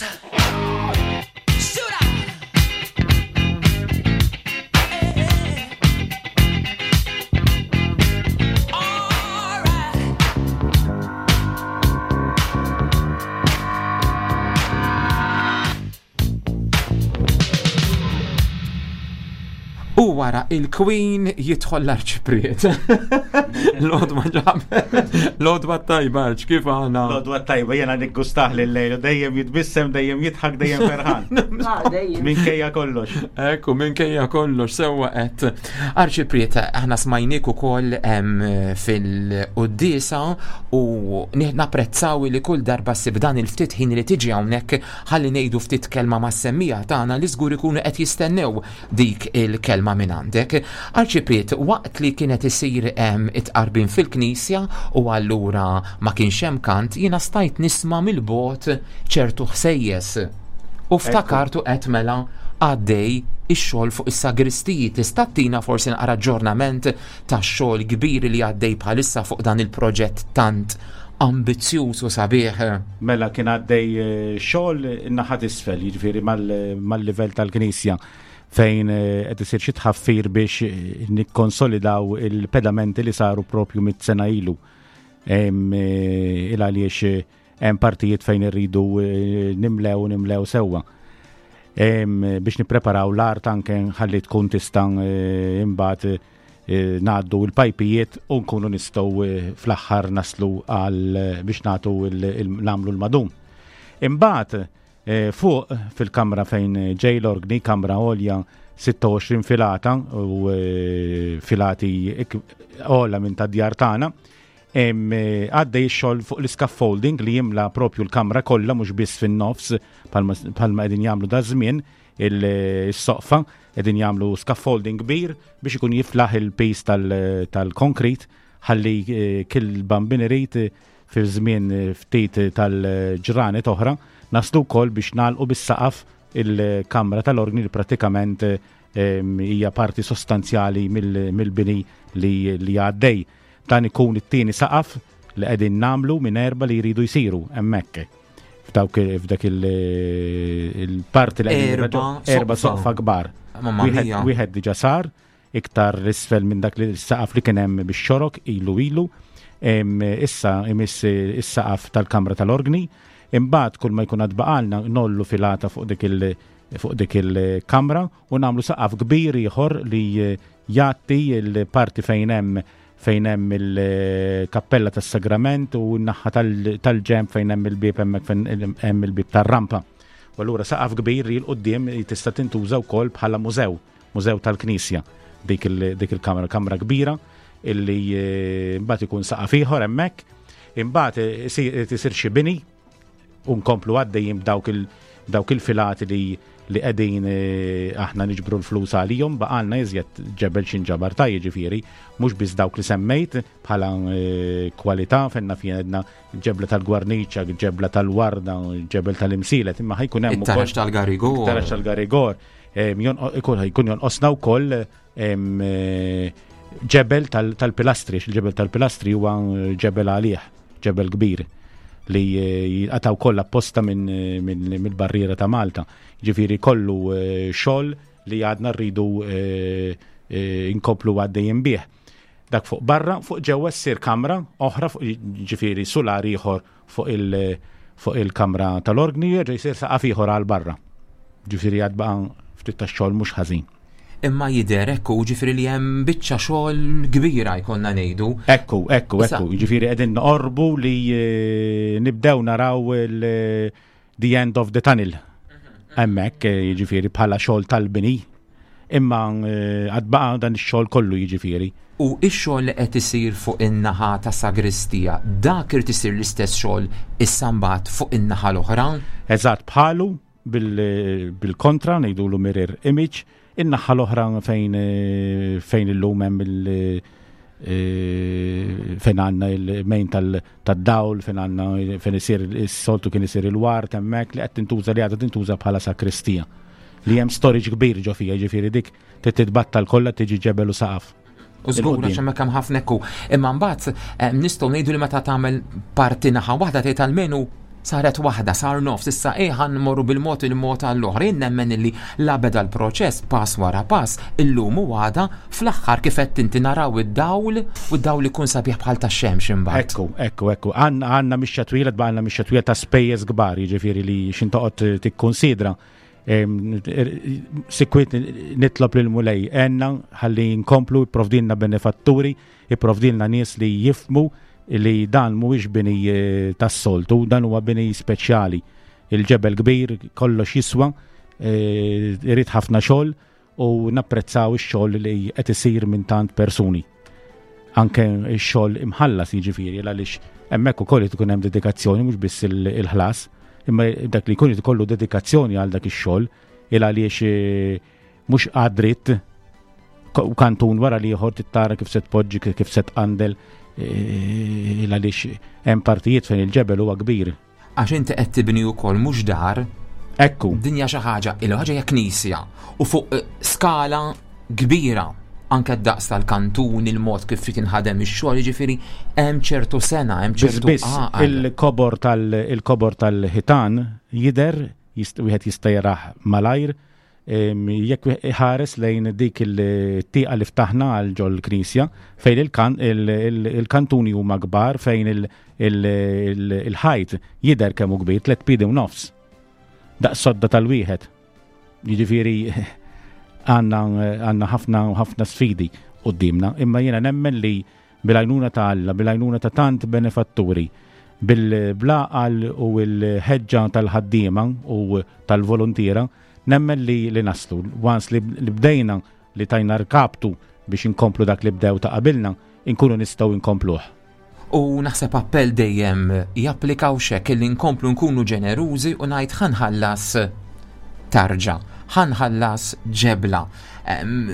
Speaker 8: Shoot out. All right.
Speaker 7: U wara il-Queen jidħol l-Arċipriet. L-għodwa ġab. L-għodwa tajba, Arċ, kif għana?
Speaker 2: L-għodwa tajba, jena niggustah lil-lejl, dejjem jitbissem, dejjem jidħak, dejjem ferħan.
Speaker 13: Ah, dejjem.
Speaker 2: Minkejja kollox.
Speaker 7: Ekku, minkejja kollox, sewwa qed. Arċipriet, aħna smajnik ukoll em, fil-quddiesa u ni- napprezzaw li kull darba ssib dan il-ftit ħin li tiġi hawnhekk ħalli ngħidu ftit kelma mas-semmiegħa tagħna li żgur ikunu qed jistennew dik il-kelma minn għandek. Arċipriet, waqt li kienet isir em, it-qarbin fil-knisja u allura ma kienx hemm kant, jiena stajt nisma' mill-bogħod ċertu ħsejjes. U ftakartu qed mela għaddej ix-xogħol fuq is-sagristiji. Tista' ttina forsi naqra aġġornament tax-xogħol kbir li għaddej bħalissa fuq dan il-proġett tant ambizzjuż u sabiħ.
Speaker 2: Mela kien għaddej eh, xogħol in-naħa t'isfel, jiġifieri mal- mal-livell tal-Knisja fejn eh, qed isir xi tħaffir biex eh, nikkonsolidaw il-pedamenti li saru propju mit-sena ilu. Em, eh, Il għaliex eh, Hemm partijiet fejn irridu eh, nimlew nimlew sewwa. Em, biex nippreparaw l-art anke ħalli tkun tista' eh, imbagħad eh, ngħaddu l-pajpijiet u nkunu nistgħu eh, fl-aħħar naslu għal eh, biex nagħtu il- il- nagħmlu l-madum. Imbagħad eh, fuq fil-kamra fejn ġej l-organi, kamra għolja sitta u għoxrin filata u eh, filati ik- ogħla minn ta' djar tagħna. Em, eh, Għaddej ix-xogħol fuq l-scaffolding li jimla propju l-kamra kollha, mhux biss fin-nofs bħalma bħalma qegħdin jagħmlu da żmien il-soqfa, qegħdin jagħmlu scaffolding kbir biex ikun jiflaħ il-piż tal-konkrit ħalli eh, kull Bambin irid eh, fi żmien eh, ftit tal-ġranet oħra naslu wkoll biex nagħlqu bis-saqaf il-kamra tal-organi li pratikament eh, em, hija parti sostanzjali mill- mill-bini li, li għaddej. Dan ikun it-tieni saqaf li qegħdin nagħmlu minn erba li jridu jsiru hemmhekk. F'dawk f'dak il- il-parti li qegħdin
Speaker 7: Erba'
Speaker 2: erba'
Speaker 7: soqfa.
Speaker 2: soqfa kbar.
Speaker 7: Mamma
Speaker 2: Wieħed
Speaker 7: mia.
Speaker 2: Wieħed diġà sar iktar isfel minn dak li s-saqaf li kien hemm bix-xorok ilu ilu. Em, Issa imiss is-saqaf tal-kamra tal-organi. Imbagħad kull ma jkun għad baqalna ngħollu filata fuq dik il- fuq dik il-kamra u nagħmlu saqaf kbir ieħor li eh, jagħti il-parti fejn hemm fejn hemm il-kappella tas-sagrament u n-naħa tal- tal-ġenb fejn hemm il-bieb, hemmhekk fejn hemm il-bieb tar-rampa. U allura saqaf kbir li 'l quddiem tista' tintuża wkoll bħala mużew, mużew tal-Knisja. Dik il- dik il-kamra, kamra kbira illi eh, mbagħad ikun saqaf ieħor hemmhekk, imbagħad eh, isir tisir xi bini u nkomplu għaddejjin b'dawk il dawk il-filati li li qegħdin eh, aħna niġbru l-flus għalihom. Baqalna iżjed ġebel x'inġabar ta', jiġifieri mhux biss dawk li semmejt bħala eh, kwalità fejn fien għedna ġebla tal-Gwarniċa, ġebla tal-Warda, ġebel tal-Imsielet, imma ħa jkun hemm
Speaker 7: It-taraġ tal-Garigor.
Speaker 2: It-taraġ tal-Garigor. Em, jon- Ikun jkun jonqosna wkoll em, eh, ġebel tal- tal-pilastri, il-ġebel tal-pilastri huwa ġebel għalih, ġebel kbir li eh, jqataw kollha apposta minn minn mill-barriera ta' Malta. Ġifieri kollu eh, xogħol li għadna rridu eh, eh, inkomplu għaddejjin bih. Dak fuq barra, fuq ġewwa ssir kamra oħra fuq, ġifieri sular ieħor fuq il- fuq il-kamra tal-organi, jerġa' jsir saqaf ieħor għal barra. Ġifieri għad baqa' ftit tax-xogħol mhux ħażin.
Speaker 7: Imma jidher ekku, ġifieri li hemm biċċa xogħol kbira jkollna ngħidu.
Speaker 2: Ekku, ekku,
Speaker 7: Issa-
Speaker 2: ekku, ġifieri qegħdin noqorbu li eh, nibdew naraw il- the end of the tunnel. Hemmhekk, eh, jiġifieri bħala xogħol tal-bini. Imma eh, għad baqa' dan ix-xogħol kollu jiġifieri.
Speaker 7: U ix-xogħol li qed isir fuq in-naħa ta' sagristija, dak irid isir l-istess xogħol issa mbagħad fuq in-naħa l-oħra?
Speaker 2: Eżatt bħalu bil- bil-kontra ngħidulu mirror image, in-naħa l-oħra fejn eh, fejn illum hemm il- eh, fejn għandna il-main tal- tad-dawl, fejn għandna fejn isir is-soltu kien isir il-wart hemmhekk, li qed tintuża, li għadha tintuża bħala sakristija. Li hemm storage kbir ġo fija, ġifieri dik trid titbattal kollha, tiġi ġebel u saqaf.
Speaker 7: U żgur
Speaker 2: Il-quddiem.
Speaker 7: għax hemmhekk hemm ħafna ekku. Imma mbagħad eh, nistgħu ngħidu li meta tagħmel parti naħa waħda tgħid almenu saret waħda, sar nofs, issa eh ħa mmorru bil-mod il-mod għall-oħra. Jien nemmen illi la beda l-proċess pass wara pass, illum u għada, fl-aħħar kif qed inti naraw id-dawl u d-dawl ikun sabiħ bħal tax-xemx imbagħad.
Speaker 2: Ekku, ekku, ekku. Għanna għanna mixja twila, għanna mixja twila ta' spejjeż kbar, jiġifieri li x'ħin toqgħod tikkonsidra. Em, er- Sikwit nitlob lil Mulej għenna ħalli nkomplu, jipprovdilna benefatturi, jipprovdilna nies li jifhmu li dan mhuwiex bini eh, tas-soltu, dan huwa bini speċjali. Il-ġebel kbir, kollox jiswa, eh, irid ħafna xogħol u napprezzaw ix-xogħol li qed isir minn tant persuni, anke x-xogħol imħallas, jiġifieri għaliex hemmhekk ukoll ikun hemm dedikazzjoni, mhux biss il- il-ħlas, imma dak li jkun ikollu dedikazzjoni għal dak ix-xogħol, il għaliex eh, mhux għad-dritt u kantun wara li ieħor tittara kif se tpoġġi, kif se tqandel, eh, il għaliex hemm partijiet fejn il-ġebel huwa kbir.
Speaker 7: Għax inti qed tibni wkoll mhux dar.
Speaker 2: Ekku.
Speaker 7: Dinja xi ħaġa, il ħaġa hija knisja u fuq eh, skala kbira, anke d-daqs tal-kantun, il-mod kif trid tinħadem ix-xogħol, jiġifieri hemm ċertu sena, hemm
Speaker 2: Biss
Speaker 7: ċertu
Speaker 2: biss
Speaker 7: għaqal.
Speaker 2: il-kobor tal il-kobor tal-ħitan jidher, jist- wieħed jista' jarah malajr. Jekk ħares lejn dik il-tieqa li ftaħna għal ġol-knisja fejn il-kantuni huma kbar, fejn il-ħajt jidher kemm hu kbir, tliet piedi u nofs. Daqs sodda tal-wieħed. Jiġifieri għandna ħafna ħafna sfidi quddiemna, imma jiena nemmen li bil-għajnuna ta' Alla, bil-għajnuna ta' tant benefatturi, bil-blaqal u l-ħeġġa tal-ħaddiema u tal-volontiera, nemmen li li naslu. Once li bdejna li tajna rkabtu biex inkomplu dak li bdew ta' qabilna, inkunu nistgħu inkompluh.
Speaker 7: U naħseb appell dejjem japplikaw xek li nkomplu nkunu ġenerużi u ngħid ħanħallas tarġa, ħanħallas ġebla.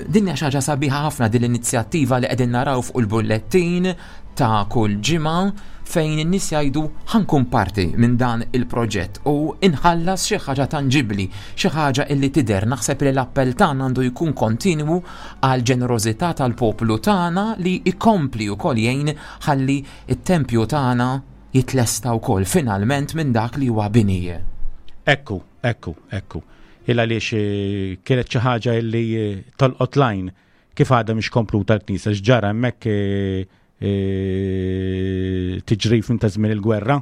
Speaker 7: Din hija xi ħaġa sabiħa ħafna din l-inizjattiva li qegħdin naraw fuq il-bullettin ta' kull ġimgħa fejn in-nies jgħidu ħankun parti minn dan il-proġett u inħallas xi ħaġa tanġibbli, xi ħaġa illi tidher. Naħseb li l-appell tagħna għandu jkun kontinwu għal ġenerożità tal-poplu tagħna li jkompli wkoll jgħin ħalli it-tempju tagħna jitlesta wkoll finalment minn dak li huwa bini.
Speaker 2: Ekku, ekku, ekku. Il għaliex kienet xi ħaġa illi tolqot lajn kif għadha mhix kompluta l-knisja, x'ġara hemmhekk tiġrif minn ta' żmien il-gwerra,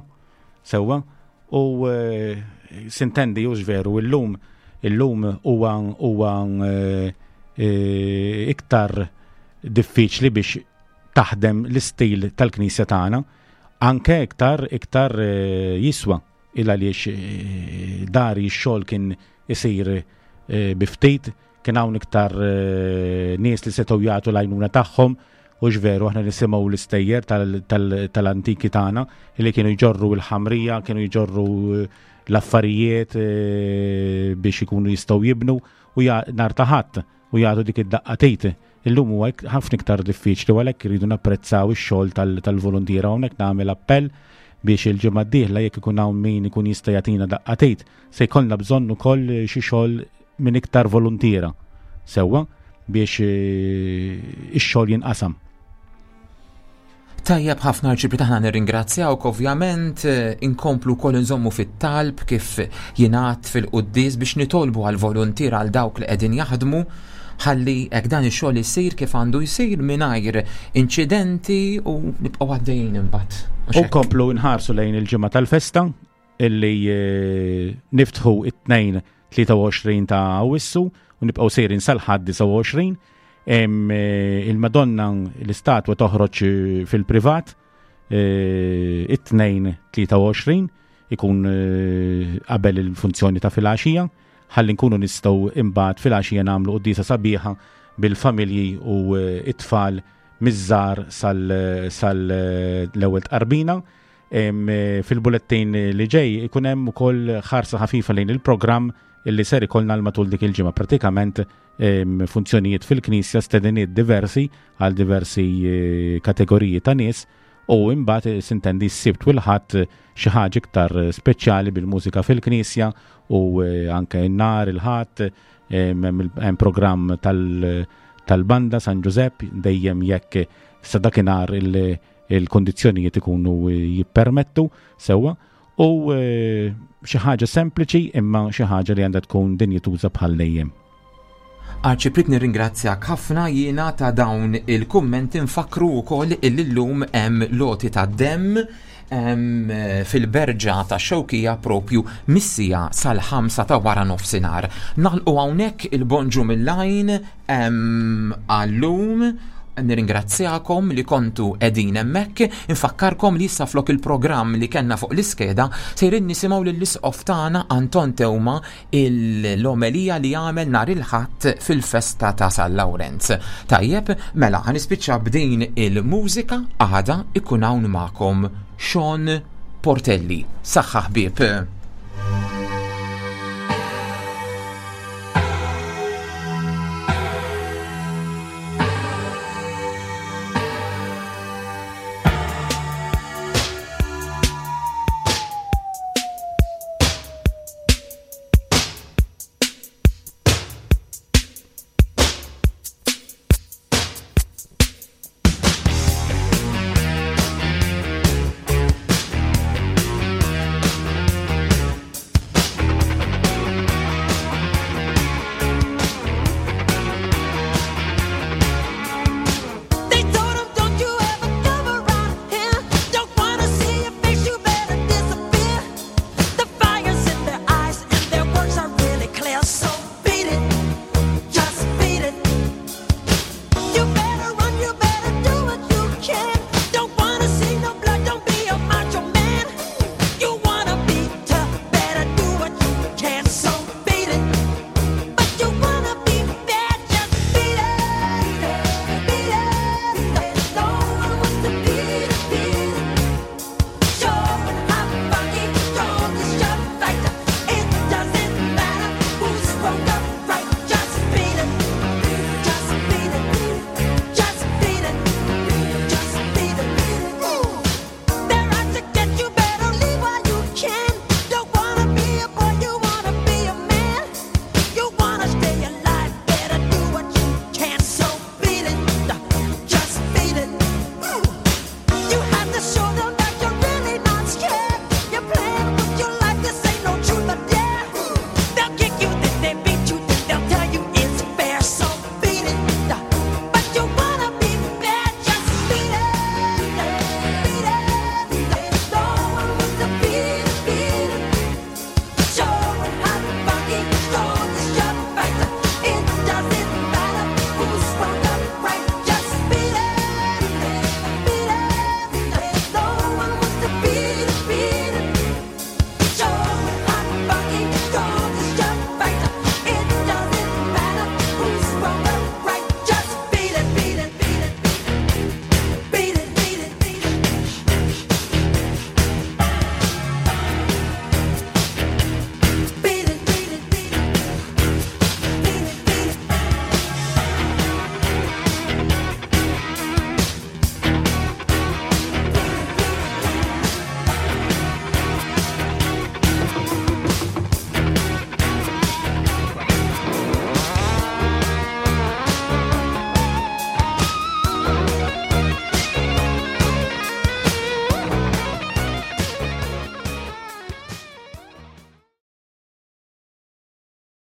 Speaker 2: sewwa, u sintendi hux veru illum illum huwa huwa iktar diffiċli biex taħdem l-istil tal-knisja tagħna, anke iktar iktar jiswa il għaliex dari x-xogħol kien isir bi ftit, kien hawn iktar nies li setgħu jagħtu l-għajnuna tagħhom. U veru aħna nisimgħu l-istejjer tal-antiki tagħna li kienu jġorru l-ħamrija, kienu jġorru l-affarijiet biex ikunu jistgħu jibnu u nhar ta' ħadd u jagħtu dik id-daqqatejt. Illum huwa ħafna iktar diffiċli u għalhekk iridu napprezzaw ix-xogħol tal-voluntiera. Hawnhekk nagħmel appell biex il-ġimgħa d-dieħla jekk ikun hawn min ikun jista' jagħtina daqqatejt, se jkollna bżonn ukoll xi xogħol minn iktar voluntiera sewwa biex ix-xogħol jinqasam.
Speaker 7: Tajjeb ħafna Arċipriet, aħna nirringrazzjawk ovvjament, inkomplu wkoll inżommu fit-talb kif jingħad fil-quddies biex nitolbu għal voluntiera għal dawk li qegħdin jaħdmu ħalli hekk dan ix-xogħol isir kif għandu jsir mingħajr inċidenti u nibqgħu għaddejjin imbagħad.
Speaker 2: U nkomplu nħarsu lejn il-ġimgħa tal-festa illi niftħu it-tnejn tlieta u għoxrin ta' Awwissu u nibqgħu sejrin sal-Ħadd disgħa u għoxrin. Il-Madonna l-istatwa toħroġ fil-privat it-tnejn tlieta u għoxrin ikun qabel il-funzjoni ta' filgħaxija, ħalli nkunu nistgħu imbagħad filgħaxija nagħmlu quddiesa sabiħa bil-familji u it-tfal miż-żgħar sal-ewwel tqarbina. Fil-bullettin li ġej ikun hemm ukoll ħarsa ħafifa lejn il-programm illi ser ikollna l matul dik il-ġimgħa, pratikament funzjonijiet fil-knisja, stediniet diversi għal diversi kategoriji ta' nies, u imbagħad sintendi s-Sibt u l-Ħadd xi ħaġa iktar speċjali bil-mużika fil-knisja u anke n-nar il-Ħadd hemm programm tal-banda San Ġużepp dejjem jekk sa dakinhar il-kondizzjonijiet ikunu jippermettu sewwa, u xi ħaġa sempliċi imma xi ħaġa li għandha tkun dinjituża bħal dejjem.
Speaker 7: Arċipriet, nirringrazzjak ħafna jiena ta' dawn il-kummenti. Nfakru wkoll illi llum hemm loti ta' demm fil-berġa ta' Xewkija propju missija sal-ħamsa ta' wara nofsinhar. Nagħlqu hawnhekk il-bonġu mill-lajn għallum. Nirringrazzjakom li kontu qegħdin hemmhekk. Infakkarkom li issa flok il-programm li kellna fuq l-iskeda sejrin nisimgħu lill-isqof tagħna Anton Teuma l-omelija li għamel nhar il-Ħadd fil-festa ta' San Lawrenz. Tajjeb, mela ħanispiċċa b'din il-mużika, għada ikun hawn magħkom Sean Portelli. Saħħa ħbieb.